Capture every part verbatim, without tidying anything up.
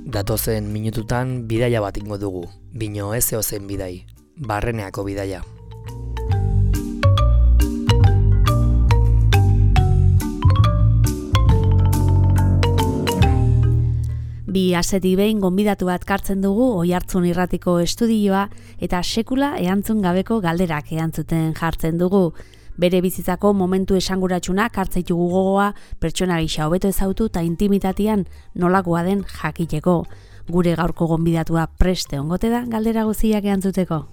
Datozen minututan bidaia bat ingo dugu, bino ez eozen bidai, barreneako bidaia. Bi asetik behin gonbidatu bat kartzen dugu Oihartzun Irratiko estudioa eta sekula erantzun gabeko galderak erantzuten jartzen dugu. Bere bizitzako momentu esanguratsunak hartzaitu gogoa, pertsona gisa hobeto ezautu eta intimitatean nolakoa den jakiteko. Gure gaurko gonbidatua preste ongote da galdera guztiak erantzuteko.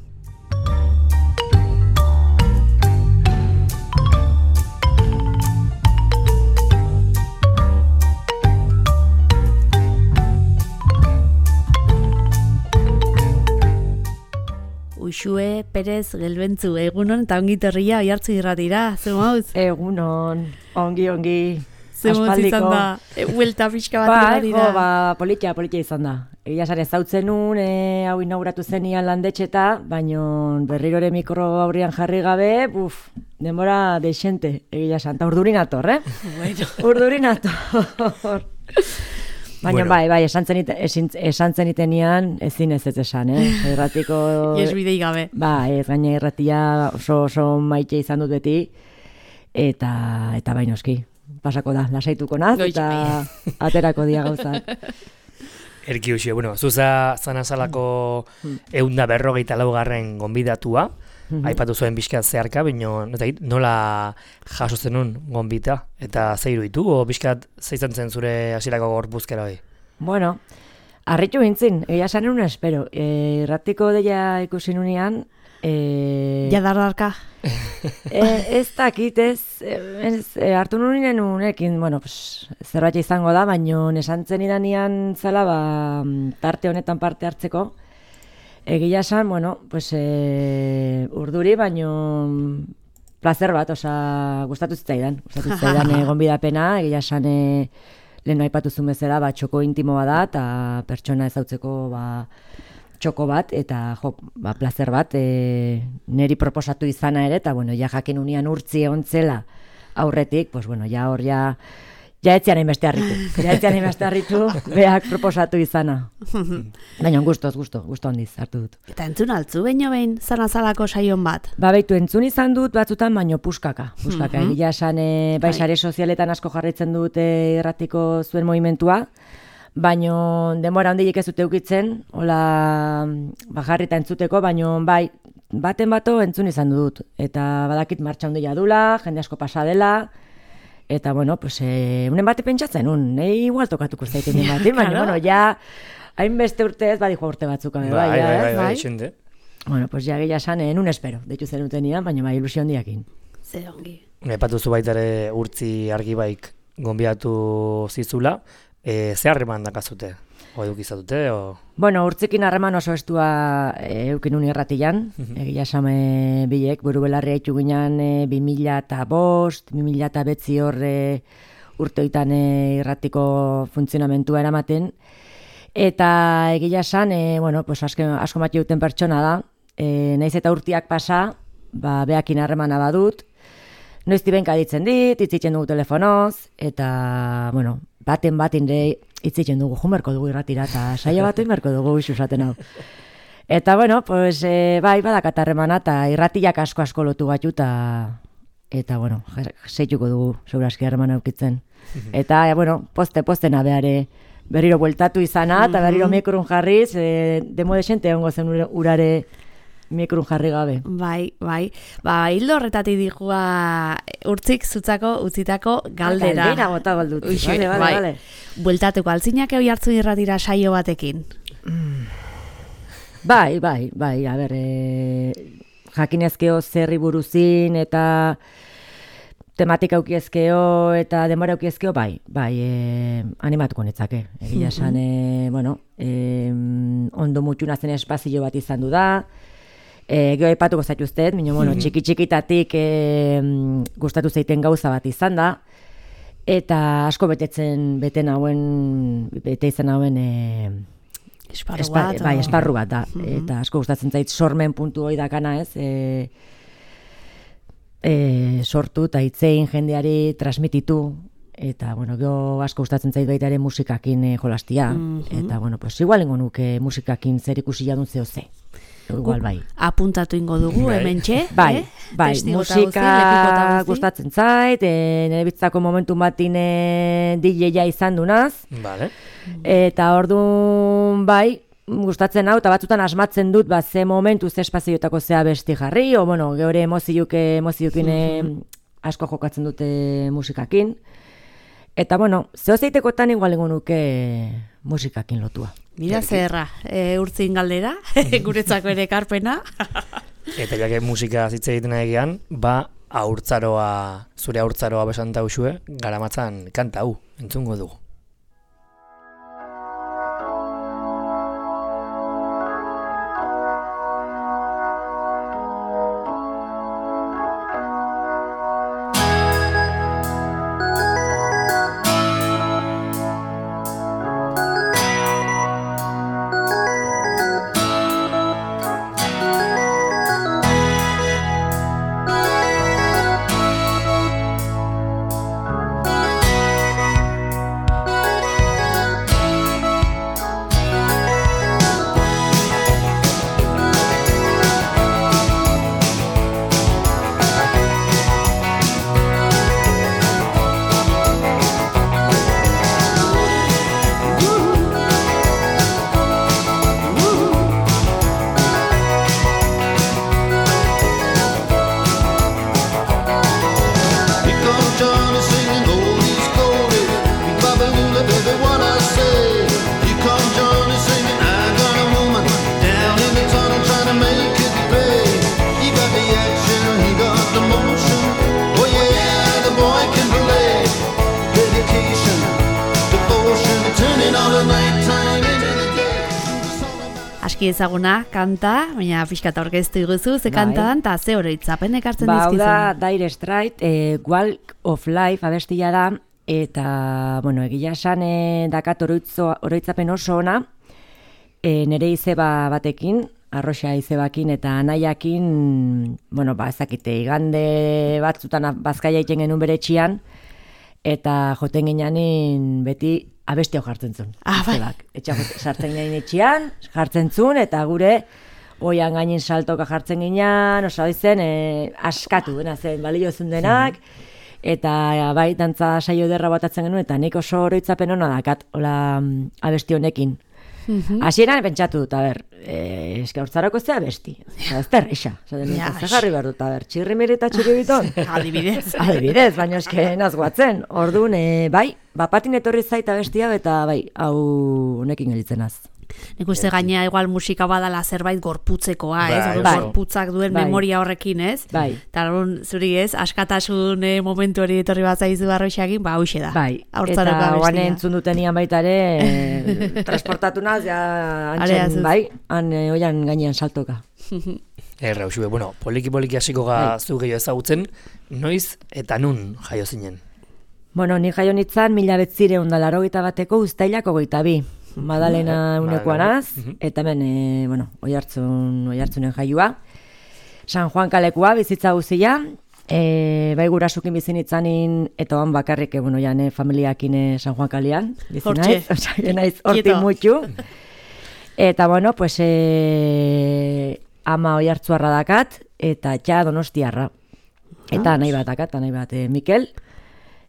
Uxue Perez Gelbentzu, egunon eta ongi torria Oihartzun Irratira, ze mauz? Egunon, ongi, ongi, ze mauz izan da, huelta pixka bat irratira. Ba, ba, politia, politia izan da. Egia sare zautzen nun, e, hau inauguratu zenian landetxeta, baino berrirore mikro aurrian jarri gabe, buf, denbora deixente, egia santa, urdurin ator, eh? Bueno. Urdurin ator. Baina bueno. bai, bai, esan zenitenean ezin ez ez esan, eh? Irratiko... Ies bidei gabe. Ba, ez gaina irratia oso, oso maite izan dut beti, eta, eta bainoski, pasako da, lasaituko naz, eta aterako dia gauzak. Erki usio, bueno, zuza zanazalako eunda berrogeita laugarren gonbidatua, aipatu zuen bizkat zeharka, baina nola jaso zenun gonbita, eta zeiru ditu, o bizkat zeizan zen zure hasierako gorpuzkera hori? Bueno, harritu gintzin, egia esan un espero. E, Irratiko deia ikusi nunean... E... Ja dardarka? e, ez dakit, ez, ez e, hartu nuen unekin, bueno, pues, zerbait izango da, baina esantzen idanean zala, ba, tarte honetan parte hartzeko, egia esan, bueno, pues, e, urduri, baino placer bat, oza, gustatu zitzaidan. Gustatu zitzaidan e, gonbidapena, egia esan, e, lehen aipatu zuen bezala, ba, txoko intimoa da, eta pertsona ezautzeko, ba, txoko bat, eta, jo, ba, placer bat, e, neri proposatu izana ere, eta, bueno, ja jakin unian urtzi egon zela aurretik, pues, bueno, ja hor, ja, ja etziaren beste harritu. Ja etziaren beste harritu, behak proposatu izana. Baina, gustoz, gusto, gusto handiz hartu dut. Eta entzun altzu, baino behin, zanazalako saion bat? Ba, beitu, entzun izan dut batzutan, baino puskaka. Puskaka, mm-hmm. Egia esan, e, bai, sare sozialetan asko jarraitzen dut e, irratiko zuen movimentua, baino denbora handiek ez dute ukitzen, hola, ba, jarrita entzuteko, baino, bai, baten bato entzun izan dut. Eta badakit martxa handia dula, jende asko pasa dela, eta, bueno, pues, eh, unen bate pentsatzen, un, nahi igual tokatuko zaiten den bate, baina, bueno, ja, hainbeste urte ez, badijo urte batzuk, bai, bai, bai, bai, bai, xente. Bueno, pues, ja, gehiago esan, en un espero, deitu zen utenian, baina, bai, ilusio handiakin. Zer ongi. Epatu zu baitare urtzi argi baik gonbiatu zizula, e, ze harreman dakazute? O edukizatute, o... Bueno, urtzikin harreman oso estua e, eukin uni erratian, mm-hmm. Egia esame bilek, buru belarri haitu ginen e, bi mila eta bost, bi mila eta betzi hor e, urteoitan e, irratiko funtzionamentua eramaten, eta egia esan, e, bueno, pues asko, asko mati duten pertsona da, e, naiz eta urtiak pasa, ba, behakin harremana badut, noizti benka ditzen dit, itzitzen dugu telefonoz, eta, bueno, baten baten de itzitzen dugu, jumerko dugu irratira, eta saia bat inberko dugu isusaten hau. Eta, bueno, pues, e, bai, badakat harremana, eta irratiak asko asko lotu gatu, eta, eta, bueno, zeituko dugu, seguraski harremana aukitzen. Eta, e, bueno, poste, poste nabeare, berriro bueltatu izana, eta berriro mikrun jarriz, e, demo desente hongo zen urare mikrun jarri gabe. Bai, bai. Ba, hildo horretatik dihua urtzik zutzako utzitako galdera. Galdera bota baldut. Uixi, vale, vale, bai. Vale. Bueltatuko, altzinak Oihartzun Irratira saio batekin. Mm. Bai, bai, bai, a ber, e, jakinezkeo zerri buruzin eta tematika aukiezkeo eta denbora aukiezkeo, bai, bai, e, animatuko netzake. Egia esan, e, bueno, e, ondo mutxuna zen espazio bat izan du da, E, Geo aipatuko zaituztet, minio, bueno, txiki-txikitatik e, gustatu zeiten gauza bat izan da, eta asko betetzen, beten hauen, bete izan hauen, e, esparru espa, bat, bai, esparru bat da, mm-hmm. Eta asko gustatzen zait sormen puntu hori dakana, ez, e, e, sortu eta hitzein jendeari transmititu, eta, bueno, gero asko gustatzen zait baita ere musikakin e, jolastia, mm-hmm. eta, bueno, pues igual ingo nuke musikakin zer ikusi jadun zeo ze. Igual bai. Apuntatu ingo dugu, hemen txe. Bai, eh? bai, musika gustatzen zait, e, nire bitzako momentu batin e, D J-a izan dunaz. Vale. Eta orduan, bai, gustatzen hau, eta batzutan asmatzen dut, ba, ze momentu, ze espazioetako zea besti jarri, o, bueno, geure emoziuk, emoziukin mm-hmm. asko jokatzen dute musikakin. Eta, bueno, zeo zeitekotan igual ingo nuke musikakin lotua. Mira zerra, e, urtzin galdera, guretzako ere karpena. Eta jake musika zitze egiten egian, ba, aurtzaroa, zure aurtzaroa besanta usue, garamatzan kanta hau, entzungo dugu. Aski ezaguna, kanta, baina pixkat aurkeztu iguzu, ze kantan, eta ze oroitzapen ekartzen ba, dizkizun. Ba, da, Dire Straits, e, Walk of Life abestia da, eta, bueno, egia esan e, dakat oroitzo, oroitzapen oso ona, e, nire izeba batekin, arroxa izebakin eta anaiakin, bueno, ba, ezakite, igande batzutan bazkaia iten genuen bere etxian, eta joten gineanin beti abestio jartzen zuen. Ah, bai. Etxak sartzen ginen etxian, jartzen zuen, eta gure oian gainin saltoka jartzen ginean, osa zen, e, askatu dena zen, balio zuen denak, eta bai, dantza saio derra batatzen genuen, eta nik oso oroitzapen hona dakat, hola abesti honekin. Hasieran pentsatu dut, a ber, eh, eske hortzarako zea besti. Ez terreixa. Ja, ez jarri behar dut, a ber, txirrimiri eta txiribiton. Adibidez. Adibidez, baina eske nazguatzen. Orduan, eh, bai, bapatin etorri zaita bestia, eta bai, hau honekin gelitzen az. Nik uste gainea igual musika badala zerbait gorputzekoa, ez? Bai, bai. Gorputzak duen bai. Memoria horrekin, ez? Bai. Eta zuri ez, askatasun eh, momentu hori etorri bat zaizu arroxeakin, ba, hoxe da. Bai, eta guan entzun dutenian baita ere, eh, transportatu naz, ja, antxen, bai, han eh, oian gainean saltoka. Erra, usue, bueno, poliki-poliki hasiko ga bai. Zu gehiago ezagutzen, noiz eta nun jaio zinen? Bueno, ni jaio nitzan mila betzireun da larogeita bateko uztailako goita bi. Madalena unekoanaz, eta hemen, e, bueno, oihartzun, oihartzunen jaioa. San Juan kalekua, bizitza guzia, e, bai gurasukin bizinitzanin, eta oan bakarrik, e, bueno, jane, familiakin San Juan kalean, bizinaiz, oza, naiz horti mutxu. Eta, bueno, pues, e, ama oihartzuarra dakat, eta txa donostiarra. Eta nahi bat dakat, nahi bat, e, Mikel,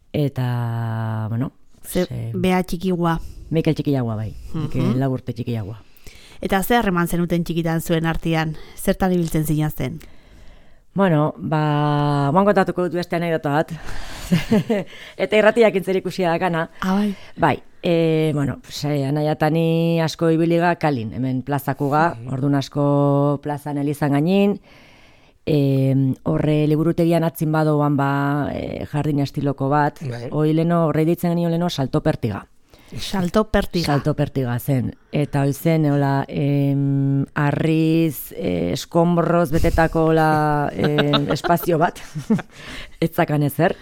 eta, bueno, Ze, e, bea txikigua. Mikel txikiagua bai, mm-hmm. Mikel Laburte txikiagua. Eta ze harreman zenuten txikitan zuen artean, zertan ibiltzen zinazten? Bueno, ba, moan kontatuko dut beste anekdota bat. Eta irratiak intzer ikusia dakana. Ah, bai. Bai, e, bueno, pues, e, anaiatani asko ibiliga kalin, hemen plazakuga, mm-hmm. Ordun asko plazan elizan gainin, e, horre liburutegian atzin badoan ba, e, jardin estiloko bat, bai. Hoi leno, horre ditzen genio leno salto pertiga. Salto pertiga. Salto pertiga zen. Eta hoi zen, hola, em, arriz, eh, eskomborroz betetako hola, em, espazio bat. Etzakan ezer.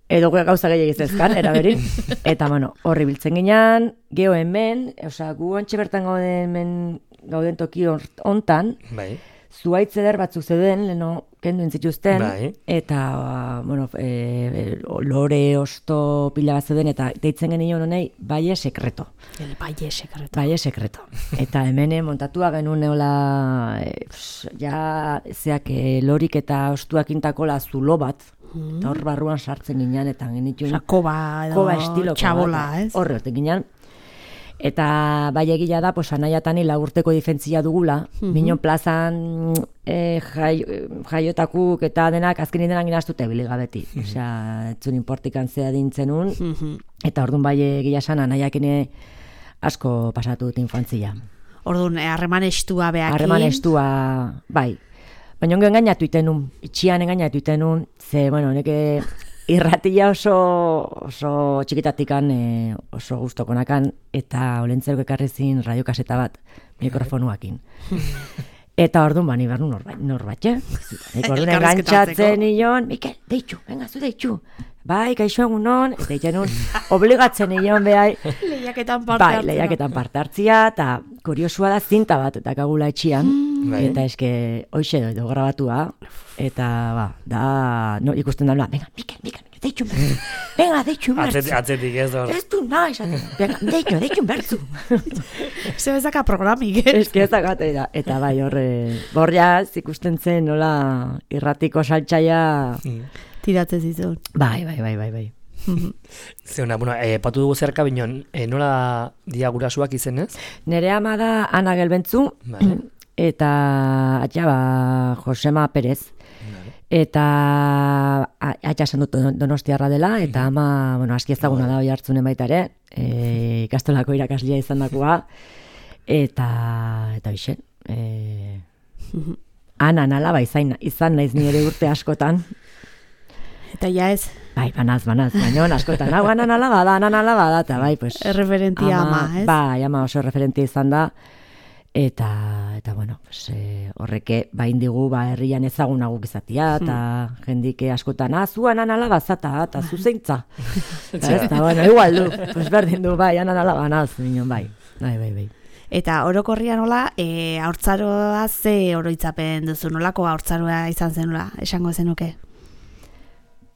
Edo gauza gehiagiz ezkan, eraberin. Eta, bueno, horri biltzen ginean, geho hemen, oza, gu ontxe bertan gauden, gauden toki hontan, bai. zuaitz eder batzuk zeuden, leno kendu entzituzten, bai. eta, bueno, e, lore, osto, pila bat zeuden, eta deitzen genion honei, baie sekreto. El baie sekreto. Baie sekreto. Eta hemen montatua genuen neola, e, pss, ja, zeak, e, lorik eta ostuak intakola zulo bat, Mm. eta hor barruan sartzen ginen, eta genituen... Osa, koba edo koba estiloko txabola, bat, ez? Horre, hortik ginen. Eta bai egila da, pues, anaiatani lagurteko difentzia dugula, Mhm. Minon plazan e, jai, jaiotakuk eta denak azkenin denak inaztute biligabeti. Osea, etzun importikan zea dintzenun, Mhm. eta orduan bai egila esan anaiakine asko pasatu dut infantzia. Orduan, eh, harreman estua behakin. Harreman estua, bai. Baina ongo engainatu itenun, itxian engainatu itenun, ze, bueno, neke irratia oso, oso txikitatikan, e, oso gustokonakan, eta olentzerok ekarrizin radiokaseta bat, mikrofonuakin. Eta orduan bani behar norbat, norbatxe. Nik orduan engantzatzen nion, Mikel, deitxu, venga, zu deitxu. Bai, kaixo egunon, eta itenun, obligatzen nion behai. Lehiaketan parte Bai, hartzea. lehiaketan parte hartzia, eta kuriosua da zinta bat, eta kagula etxian. Bai. Eta eske, hoxe doi grabatua, eta ba, da, no, ikusten da, venga, Mikel, Mikel, deitxu bertzu, venga, deitxu bertzu. Atzetik, atzetik ez hor. Ez du nahi, esaten, venga, deitxu, deitxu bertzu. Ze bezaka programik, eh? Ez que ez dakate da, eta bai, horre, borriaz ikusten zen, nola, irratiko saltzaia, Tiratzen zizun. bai, bai, bai, bai, bai. Zeuna, bueno, eh, patu dugu zerka binon, eh, nola dia gurasuak izenez? Nere ama da Ana Gelbentzu, Vale. eta atxa ba, Josema Perez. Eta atxa esan dut Donostiarra dela, eta ama, bueno, aski ezaguna da hoi hartzunen baita ere, e, ikastolako irakaslia izan dakoa, eta, eta hoxe, e, Ana nalaba izan, izan naiz nire urte askotan. Eta ja ez, Bai, banaz, banaz, baina askotan, hau anan alaba da, anan alaba da, eta bai, pues... erreferentia ama, ez? Bai, ama oso referentia izan da, eta, eta bueno, pues, eh, horreke bain digu, ba, herrian ezagunaguk izatia, eta jendike askotan, ah, zu anan alaba zata, eta zu zeintza. Eta ez, eta, bueno, igual du, pues berdin du, bai, anan alaba naz, minon, bai, bai, bai, bai. Eta orokorria nola, e, haurtzaroa ze oroitzapen duzu, nolako haurtzaroa izan zenula, esango zenuke?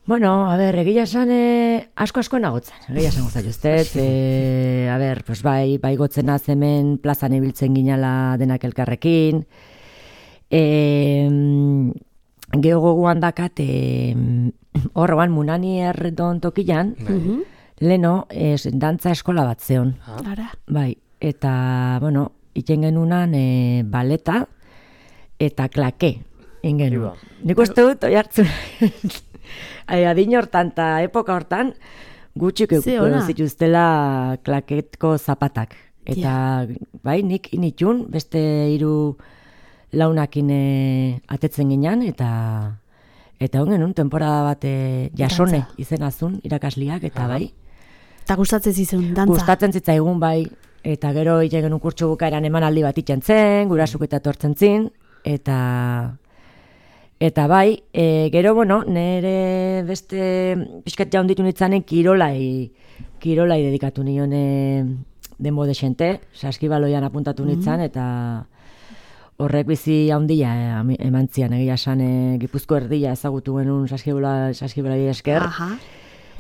Bueno, a ber, egia esan eh, asko-asko nagotzen, egia esan gozat justez, eh, a ber, pues bai, bai gotzen hemen plazan ibiltzen ginala denak elkarrekin, eh, geho goguan dakat, eh, horroan munani erdon tokilan, Mhm. leno, eh, dantza eskola bat zeon, Ara. bai, eta, bueno, iten genunan eh, baleta eta klake, ingenu. Iba. Nik uste dut, oi hartzun, adin hortan eta epoka hortan, gutxik Ze euko ona. zituztela klaketko zapatak. Eta, bai, nik initun, beste hiru launakin eh, atetzen ginen, eta eta hongen un temporada bat eh, jasone Dantza. izenazun irakasliak, eta bai, Eta gustatzen zizun, dantza. gustatzen zitzaigun bai, eta gero ite genuen kurtsu bukaeran emanaldi bat itxen zen, gurasuk eta tortzen zin, eta eta bai, e, gero, bueno, nire beste pixkat jaunditu nitzanen kirolai, kirolai dedikatu nion e, denbo desente, saskibaloian apuntatu nitzan, eta horrek bizi handia e, eman zian, egia esan e, Gipuzko erdia ezagutu genuen saskibola, saskibolai esker. Aha.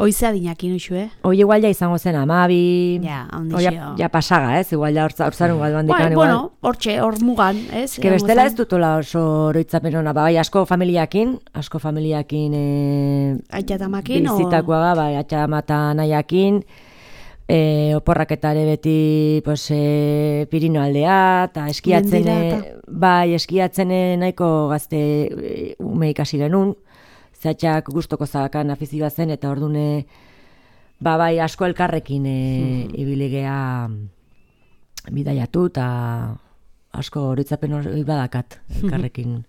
Oize adinakin uxu, eh? Hoi igual ja izango zen amabi, Ja, hoi ondixio. ja, ja pasaga, ez? Igual ja hortzarun bat bandikan, Bai, igual. bueno, hortxe, hor mugan, ez? Que bestela ez dutola oso oroitzapen hona, bai, asko familiakin, asko familiakin e, Aitatamakin, o... bizitakoa, bai, atxamata nahiakin, e, oporraketare beti, pues, e, Pirino aldea, eta eskiatzen, Mendira, e, eta- bai, eskiatzen e, nahiko gazte e, ume ikasi genuen, zatxak gustoko zakan afizioa zen, eta ordune, ba, bai, asko elkarrekin e, ibiligea bidaiatu, eta asko horitzapen hori badakat elkarrekin.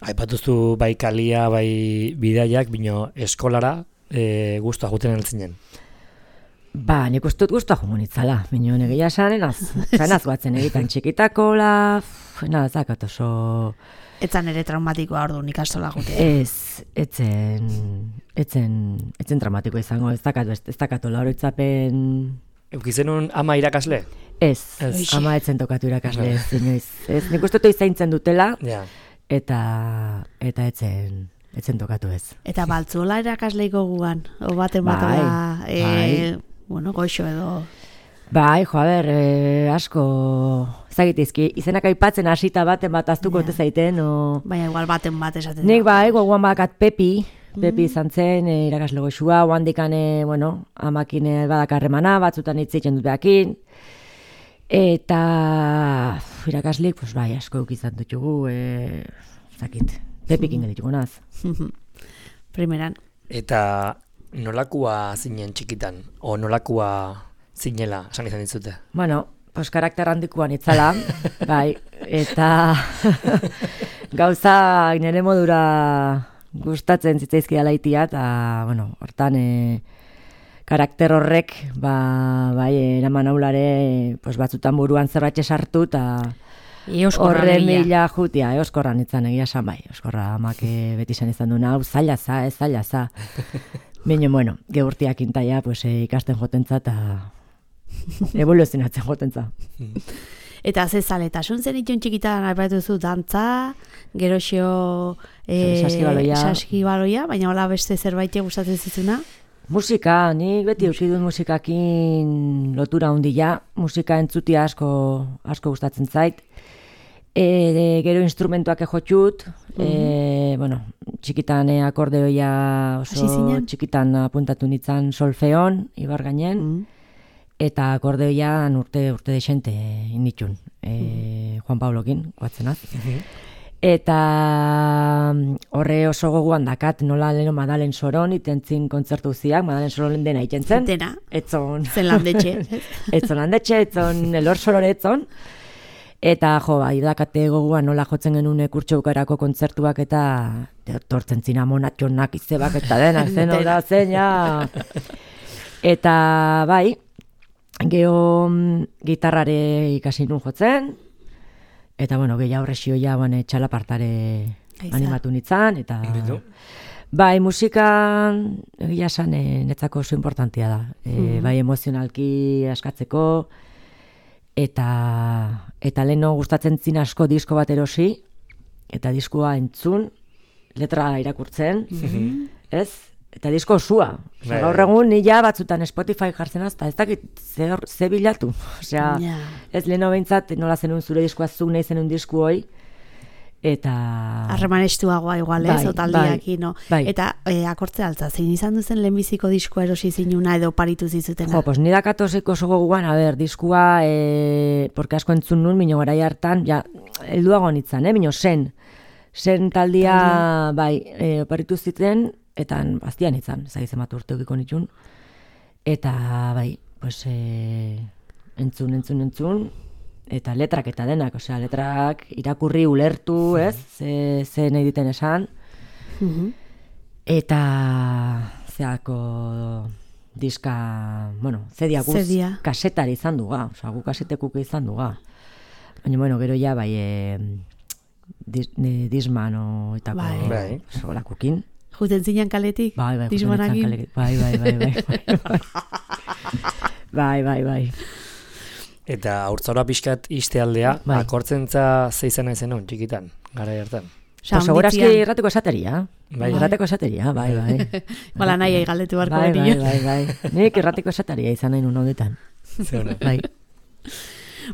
Aipatuzu bai kalia, bai bidaiak, bino eskolara e, guztua juten altzinen. Ba, nik uste dut guztua jomo nitzala, bino negia esan, enaz, enaz guatzen egiten txikitakola, enaz, zakat oso... Etzan ere traumatikoa ordu ikastola jute. Ez, etzen, etzen, etzen traumatiko izango, ez dakat, ez dakatola horitzapen... Eukizenun ama irakasle? Ez, Ez. ama etzen tokatu irakasle ez, inoiz. Ez, nik uste dut zaintzen dutela, Ja. eta eta etzen, etzen tokatu ez. Eta baltzuola irakasleiko guan, o baten Bai, batela, e, bai. bueno, goxo edo... Bai, jo, a ber, eh, asko, zagitizki, izenak aipatzen hasita baten bat aztuko Ja. ote zaiten, o... Baina igual baten bat esaten Nik da. bai, gogoan bakat Pepi, Pepi izan zen, e, irakasle goxua, oandikan, e, bueno, amakin e, badakarremana, batzutan hitzitzen dut behakin, eta uf, irakaslik, pues bai, asko eukizan dutugu, e, zakit, Pepikin gelituko naz. Primeran. Eta nolakua zinen txikitan, o nolakua zinela, esan izan ditzute? Bueno, pues karakter handikoan itzala, bai, eta gauza nire modura gustatzen zitzaizkia laitia, eta, bueno, hortan, e, karakter horrek, ba, bai, eraman aulare, pues batzutan buruan zerratxe sartu, eta Eoskorra horren lehia. mila jutia, eoskorran itzan egia esan bai, eoskorra amak e, beti izan izan duna, hau zaila za, ez zaila za. Baina, bueno, geurtiak intaia, pues, e, ikasten jotentza, eta evoluzionatzen jotentza. Eta ze zaletasun zen itun txikitan aipatu zu dantza, geroxo e, Saskibaloia. saskibaloia, baina hola beste zerbait gustatzen zizuna? Musika, nik beti euki dut musikakin lotura handia, musika entzutia asko, asko gustatzen zait. E, gero instrumentuak ejotxut, e, bueno, txikitan e, akordeoia Hasi oso zinen? txikitan apuntatu nintzen solfeon, ibar gainen, Mm. eta akordeoian urte urte desente initxun, e, Juan Pablokin, guatzenaz. Eta mm, horre oso goguan dakat nola leno Madalen Soron itentzin kontzertu ziak, Madalen Soron dena iten zen. Dena, Etzon. zen landetxe. etzon handetxe, etzon elor sorore etzon. Eta jo, bai, dakate goguan nola jotzen genuen kurtso bukarako kontzertuak eta tortzen zina monatxonak izebak eta denak zen da zen, ja. Eta bai, geho mm, gitarrare ikasi nun jotzen, eta bueno, gehiago horrexioia bane, txalapartare Aiza. animatu nintzen, eta Bitu. bai, musika egia esan e, netzako oso importantia da. E, Mhm. Bai, emozionalki askatzeko, eta eta leno gustatzen zin asko disko bat erosi, eta diskoa entzun, letra irakurtzen, ez? Eta disko osua. Osea, Bai, gaur bai. egun ni ja batzutan Spotify jartzen azta, ez dakit ze, hor- ze bilatu. Osea, Ja. ez leno behintzat nola zenun zure diskoa zu nahi zenun disku hoi, eta... Harreman estuagoa igual, ez, Bai, otaldiaki, no? bai. Eta e, akortze altza, zein izan duzen lehenbiziko diskoa erosi zinuna edo paritu zizutena? Jo, pues ni dakatoseko oso goguan, a ber, diskua, e, porque asko entzun nun, mino garai hartan, ja, helduago nitzan, eh, mino zen. Zen taldia, bai, e, oparitu ziten, eta aztian nitzan, zaiz ematu urte ukiko nitxun. Eta, bai, pues, e, entzun, entzun, entzun, eta letrak eta denak, osea, letrak irakurri ulertu, ez, ze, ze nahi diten esan, Mhm. eta zeako diska, bueno, zedia guz Zedia. kasetari izan duga, osea, gu kasetekuk izan duga. Baina, bueno, gero ja, bai, e, dis, e, dismano etako, Bai. Bai. solakukin. Juten zinan kaletik? Bai, bai, Dismanakin? juten nintzen kale- bai, bai, bai, bai, bai, bai, bai, bai. Eta haurtzaroa pixkat istealdea, Bai. akortzentza zeizena izenun, txikitan, gara hartan. Osea, Pues segurazki onditzian. errateko esateria. Bai. Errateko esateria, bai, bai. Bala nahi galdetu barko Bai, bai, benio. bai, bai. Nik errateko esateria izan nahi nun honetan. Zeuna. Bai.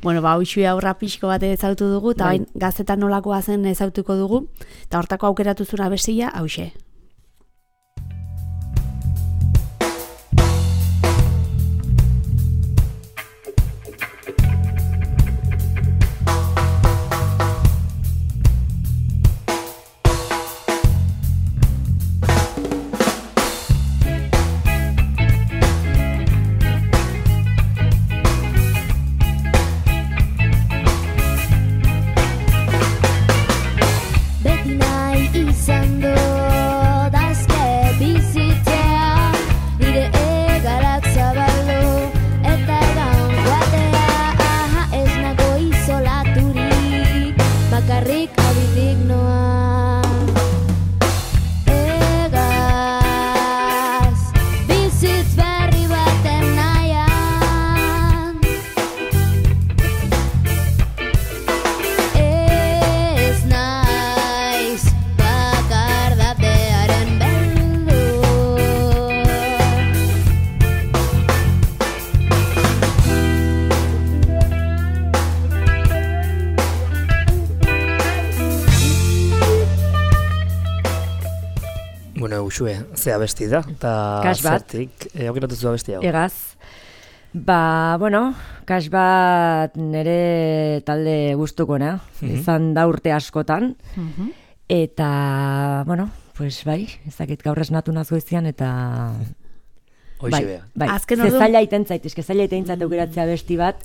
Bueno, ba, hoxui aurra pixko bat ezautu dugu, eta Bai. bain gaztetan nolakoa zen ezautuko dugu, eta hortako aukeratu zura bestia, hauxe. Beti nahi izan dut Uxue, ze abesti da, eta zertik, e, aukeratu zu abesti hau. Egaz. Ba, bueno, kas bat nire talde gustukoena, mm-hmm. izan da urte askotan, mm-hmm. eta, bueno, pues bai, ezakit gaur esnatu nazoizian, eta... Hoixe beha. Bai, ze zaila iten zait, eske zaila iten zait aukeratzea besti bat,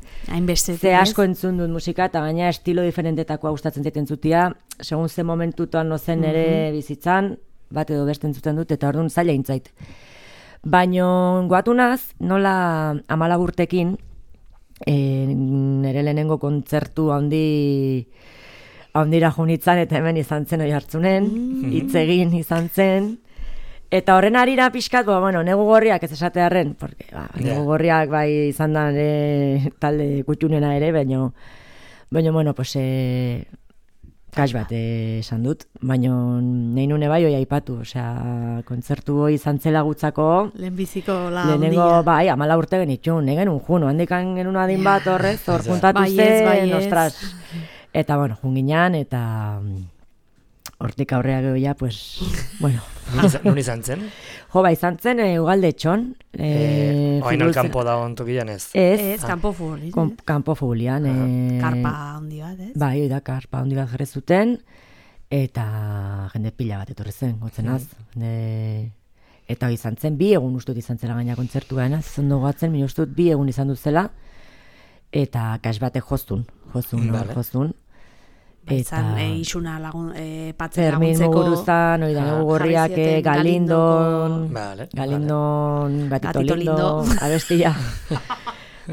ze asko entzun dut musika, eta gaina estilo diferentetakoa gustatzen zaiten zutia, segun ze momentutan nozen ere mm-hmm. bizitzan, bat edo beste entzuten dut, eta orduan zaila intzait. Baina goatu naz, nola hamalau urtekin, e, nire lehenengo kontzertu handi handira junitzan, eta hemen izan zen oi hartzunen, hitz egin izan zen, eta horren harira pixkat, ba, bueno, negu gorriak ez esatearren, porque, ba, yeah. negu gorriak bai izan da e, talde kutxunena ere, baina, baina, bueno, pues, e, kas bat esan dut, baina nahi nune bai hoi aipatu, osea, kontzertu hoi izan zela gutzako, lehenbiziko la ondia. Lehenengo, bai, amala urte genitxun, egen un juno, handikan genuen adin bat horrez, hor juntatu zen, ostras. Eta, bueno, junginan, eta... Hortik aurrea gehoia, pues, bueno. Nun izan zen? Jo, ba, izan zen, e, ugalde txon. E, e, Oain alkampo da ontokian ez? Ez, ez kampo fugulian. Kom, kampo fugulian. Uh-huh. E, karpa handi bat, ez? Bai, da, karpa handi bat jarri zuten, eta jende pila bat etorri zen, gotzenaz. Mm. Eta izan zen, bi egun ustut izan zela gaina kontzertua, ez? Zondo goatzen, min ustut bi egun izan duzela, eta kas bate joztun, joztun, mm, vale. joztun. Eta e, isuna lagun, e, patzen laguntzeko. Fermin Muguruzan, oida ah, gorriak, Galindon, vale, Galindon, vale. Gatito, Gatito Lindo, abestia.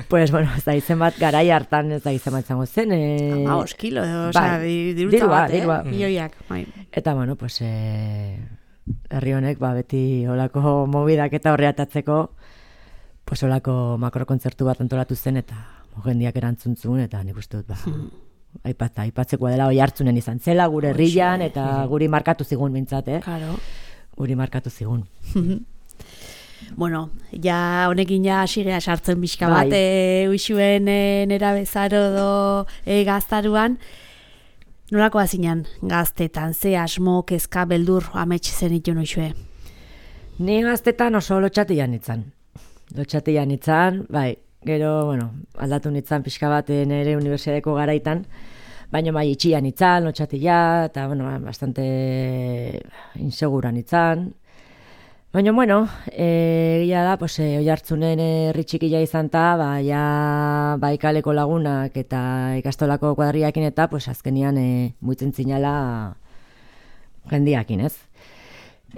Pues, bueno, ez da izen bat garai hartan, ez da izen bat zango zen. E... Ama, oskilo, oza, dirutza bat, eh? Milioiak, bai. Eta, bueno, pues, eh, herri honek, ba, beti olako mobidak eta horreatatzeko, pues, olako makrokontzertu bat antolatu zen, eta jendiak erantzuntzun, eta nik uste dut, ba... Hmm. Aipatza, aipatzekoa dela oi hartzunen izan zela, gure herrian, eta guri markatu zigun bintzat, eh? Claro. Guri markatu zigun. Bueno, ja honekin ja sigea sartzen bizka bat, e, uixuen e, nera bezaro do e, gaztaruan. Nolako hazinan gaztetan, ze asmo, kezka, beldur, amets zen itun uixue? Ni gaztetan oso lotxatian itzan. Lotxatian itzan, bai. Gero, bueno, aldatu nitzan pixka bat nire unibertsiadeko garaitan, baina bai itxian nitzan, lotxatia, eta, bueno, bastante insegura nitzan. Baina, bueno, egia da, pues, oi hartzunen herri txikia izan ta, ba, ja, bai kaleko lagunak eta ikastolako kuadriakin eta, pues, azkenian e, muitzen zinala jendiakin, ez?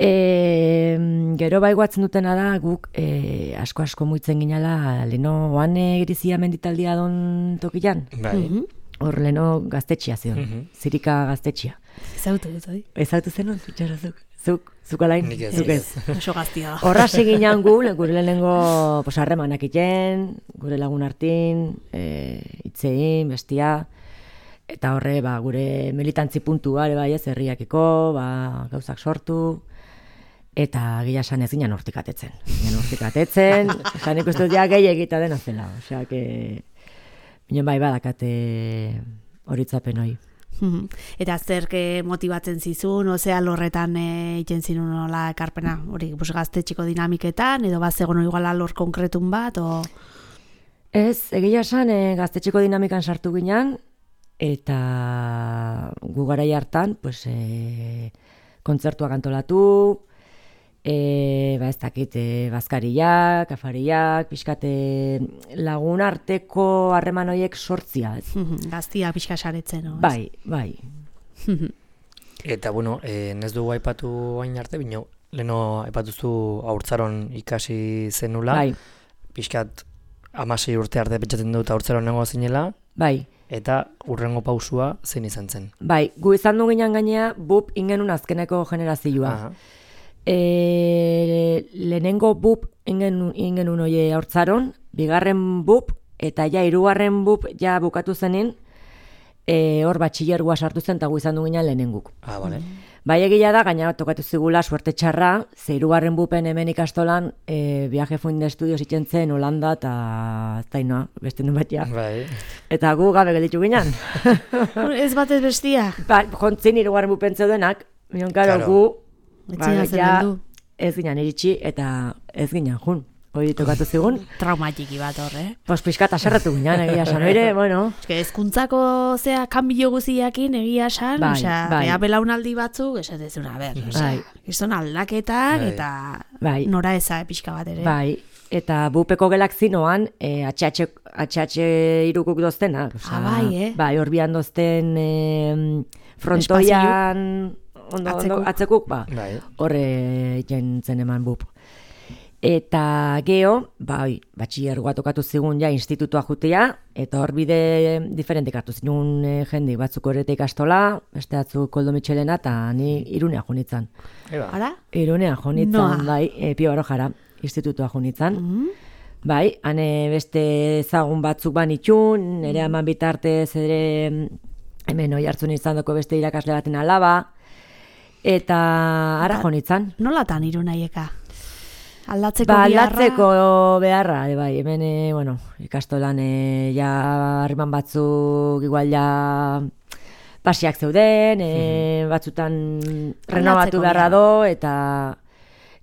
E, gero bai guatzen dutena da guk e, asko asko muitzen ginala leno oan egirizia menditaldia don tokian. Bai. Mm-hmm. Hor leno gaztetxia zion, mm-hmm. Zirika gaztetxia. Ezautu dut, oi? Ezautu zen hon, zutxara zuk. Zuk, zuk alain? Nik ez. Zuk ez. Oso gaztia da. Horra seginan gu, gure lehenengo pues, harremanak iten, gure lagun hartin, e, itzein, bestia. Eta horre, ba, gure militantzi puntua, ere bai ez, herriakiko, ba, gauzak sortu. Eta gila esan ez ginen hortik atetzen. Ginen hortik atetzen, esan ikustut ja gehi egita dena zela. Osea, que... Binen bai badakate horitzapen hoi. Eta zerke motibatzen zizun, ozea lorretan egiten e, zinun nola ekarpena, hori gaztetxiko dinamiketan, edo bat zegoen igual alor konkretun bat, o... Ez, egia esan e, gaztetxiko dinamikan sartu ginen, eta gu garai hartan, pues, e, kontzertuak antolatu, E, ba ez dakit, e, bazkariak, afariak, pixkate lagun arteko harreman horiek sortzia. Gaztia pixka saretzen, no? Bai, bai. Eta, bueno, e, nez dugu aipatu hain arte, bino, leheno aipatuzu haurtzaron ikasi zenula. Bai. Pixkat, amasei urte arte pentsatzen dut haurtzaron nengo zinela. Bai. Eta urrengo pausua zein izan zen. Bai, gu izan du ginen gainea, bup ingenun azkeneko generazioa. Aha. E, lehenengo bup ingen, ingen unoie haurtzaron, bigarren bup, eta ja hirugarren bup ja bukatu zenin, e, hor batxillergoa sartu zen, eta gu izan du ginen lehenenguk. Ah, bale. Bai egia da, gaina tokatu zigula suerte txarra, ze hirugarren bupen hemen ikastolan, e, viaje fuin de estudios itzen zen Holanda, eta zainoa, beste nun batia. Bai. Eta gu gabe gelditu ginen. Ez batez bestia. Ba, jontzin hirugarren bupen zeudenak, minon, karo, gu, Ba, ja, ez ginen iritsi eta ez ginen jun. Hori tokatu zigun. Traumatiki bat horre. Eh? Pos pixkat aserratu ginen, egia san. Oire, bueno. Ez que ezkuntzako zea kanbio guziakin egia san, bai, osea, bai. bea belaunaldi batzuk, esatezuna, ber, osea, Bai. izan aldaketak Bai. eta Bai. nora eza pixka bat ere. Bai, eta bupeko gelak zinoan, e, atxatxe irukuk doztena. Osea, Ah, bai, eh? Bai, orbian dozten e, frontoian, ondo, Atzekuk. ondo, atzekuk, ba, Bai. horre jentzen eman bup. Eta geho, bai, batxillergoa tokatu zigun ja institutua jutea, eta hor bide diferentek hartu zinun e, jendik, batzuk horrete ikastola, beste batzuk Koldo Mitxelena, eta ni Irunea junitzan. Eba. Ara? Irunea junitzan, Noa. bai, e, Pio Barojara, institutua junitzan. Mhm. Bai, hane beste ezagun batzuk banitxun, nire eman bitartez ere hemen oi hartzun izan doko beste irakasle baten alaba, eta ara Ba- jonitzan. Nolatan Irunaieka? Aldatzeko Ba, biharra? aldatzeko beharra, e, bai, hemen, e, bueno, ikastolan e, ja harriman batzuk igual ja pasiak zeuden, e, batzutan renovatu beharra beharra. do, eta,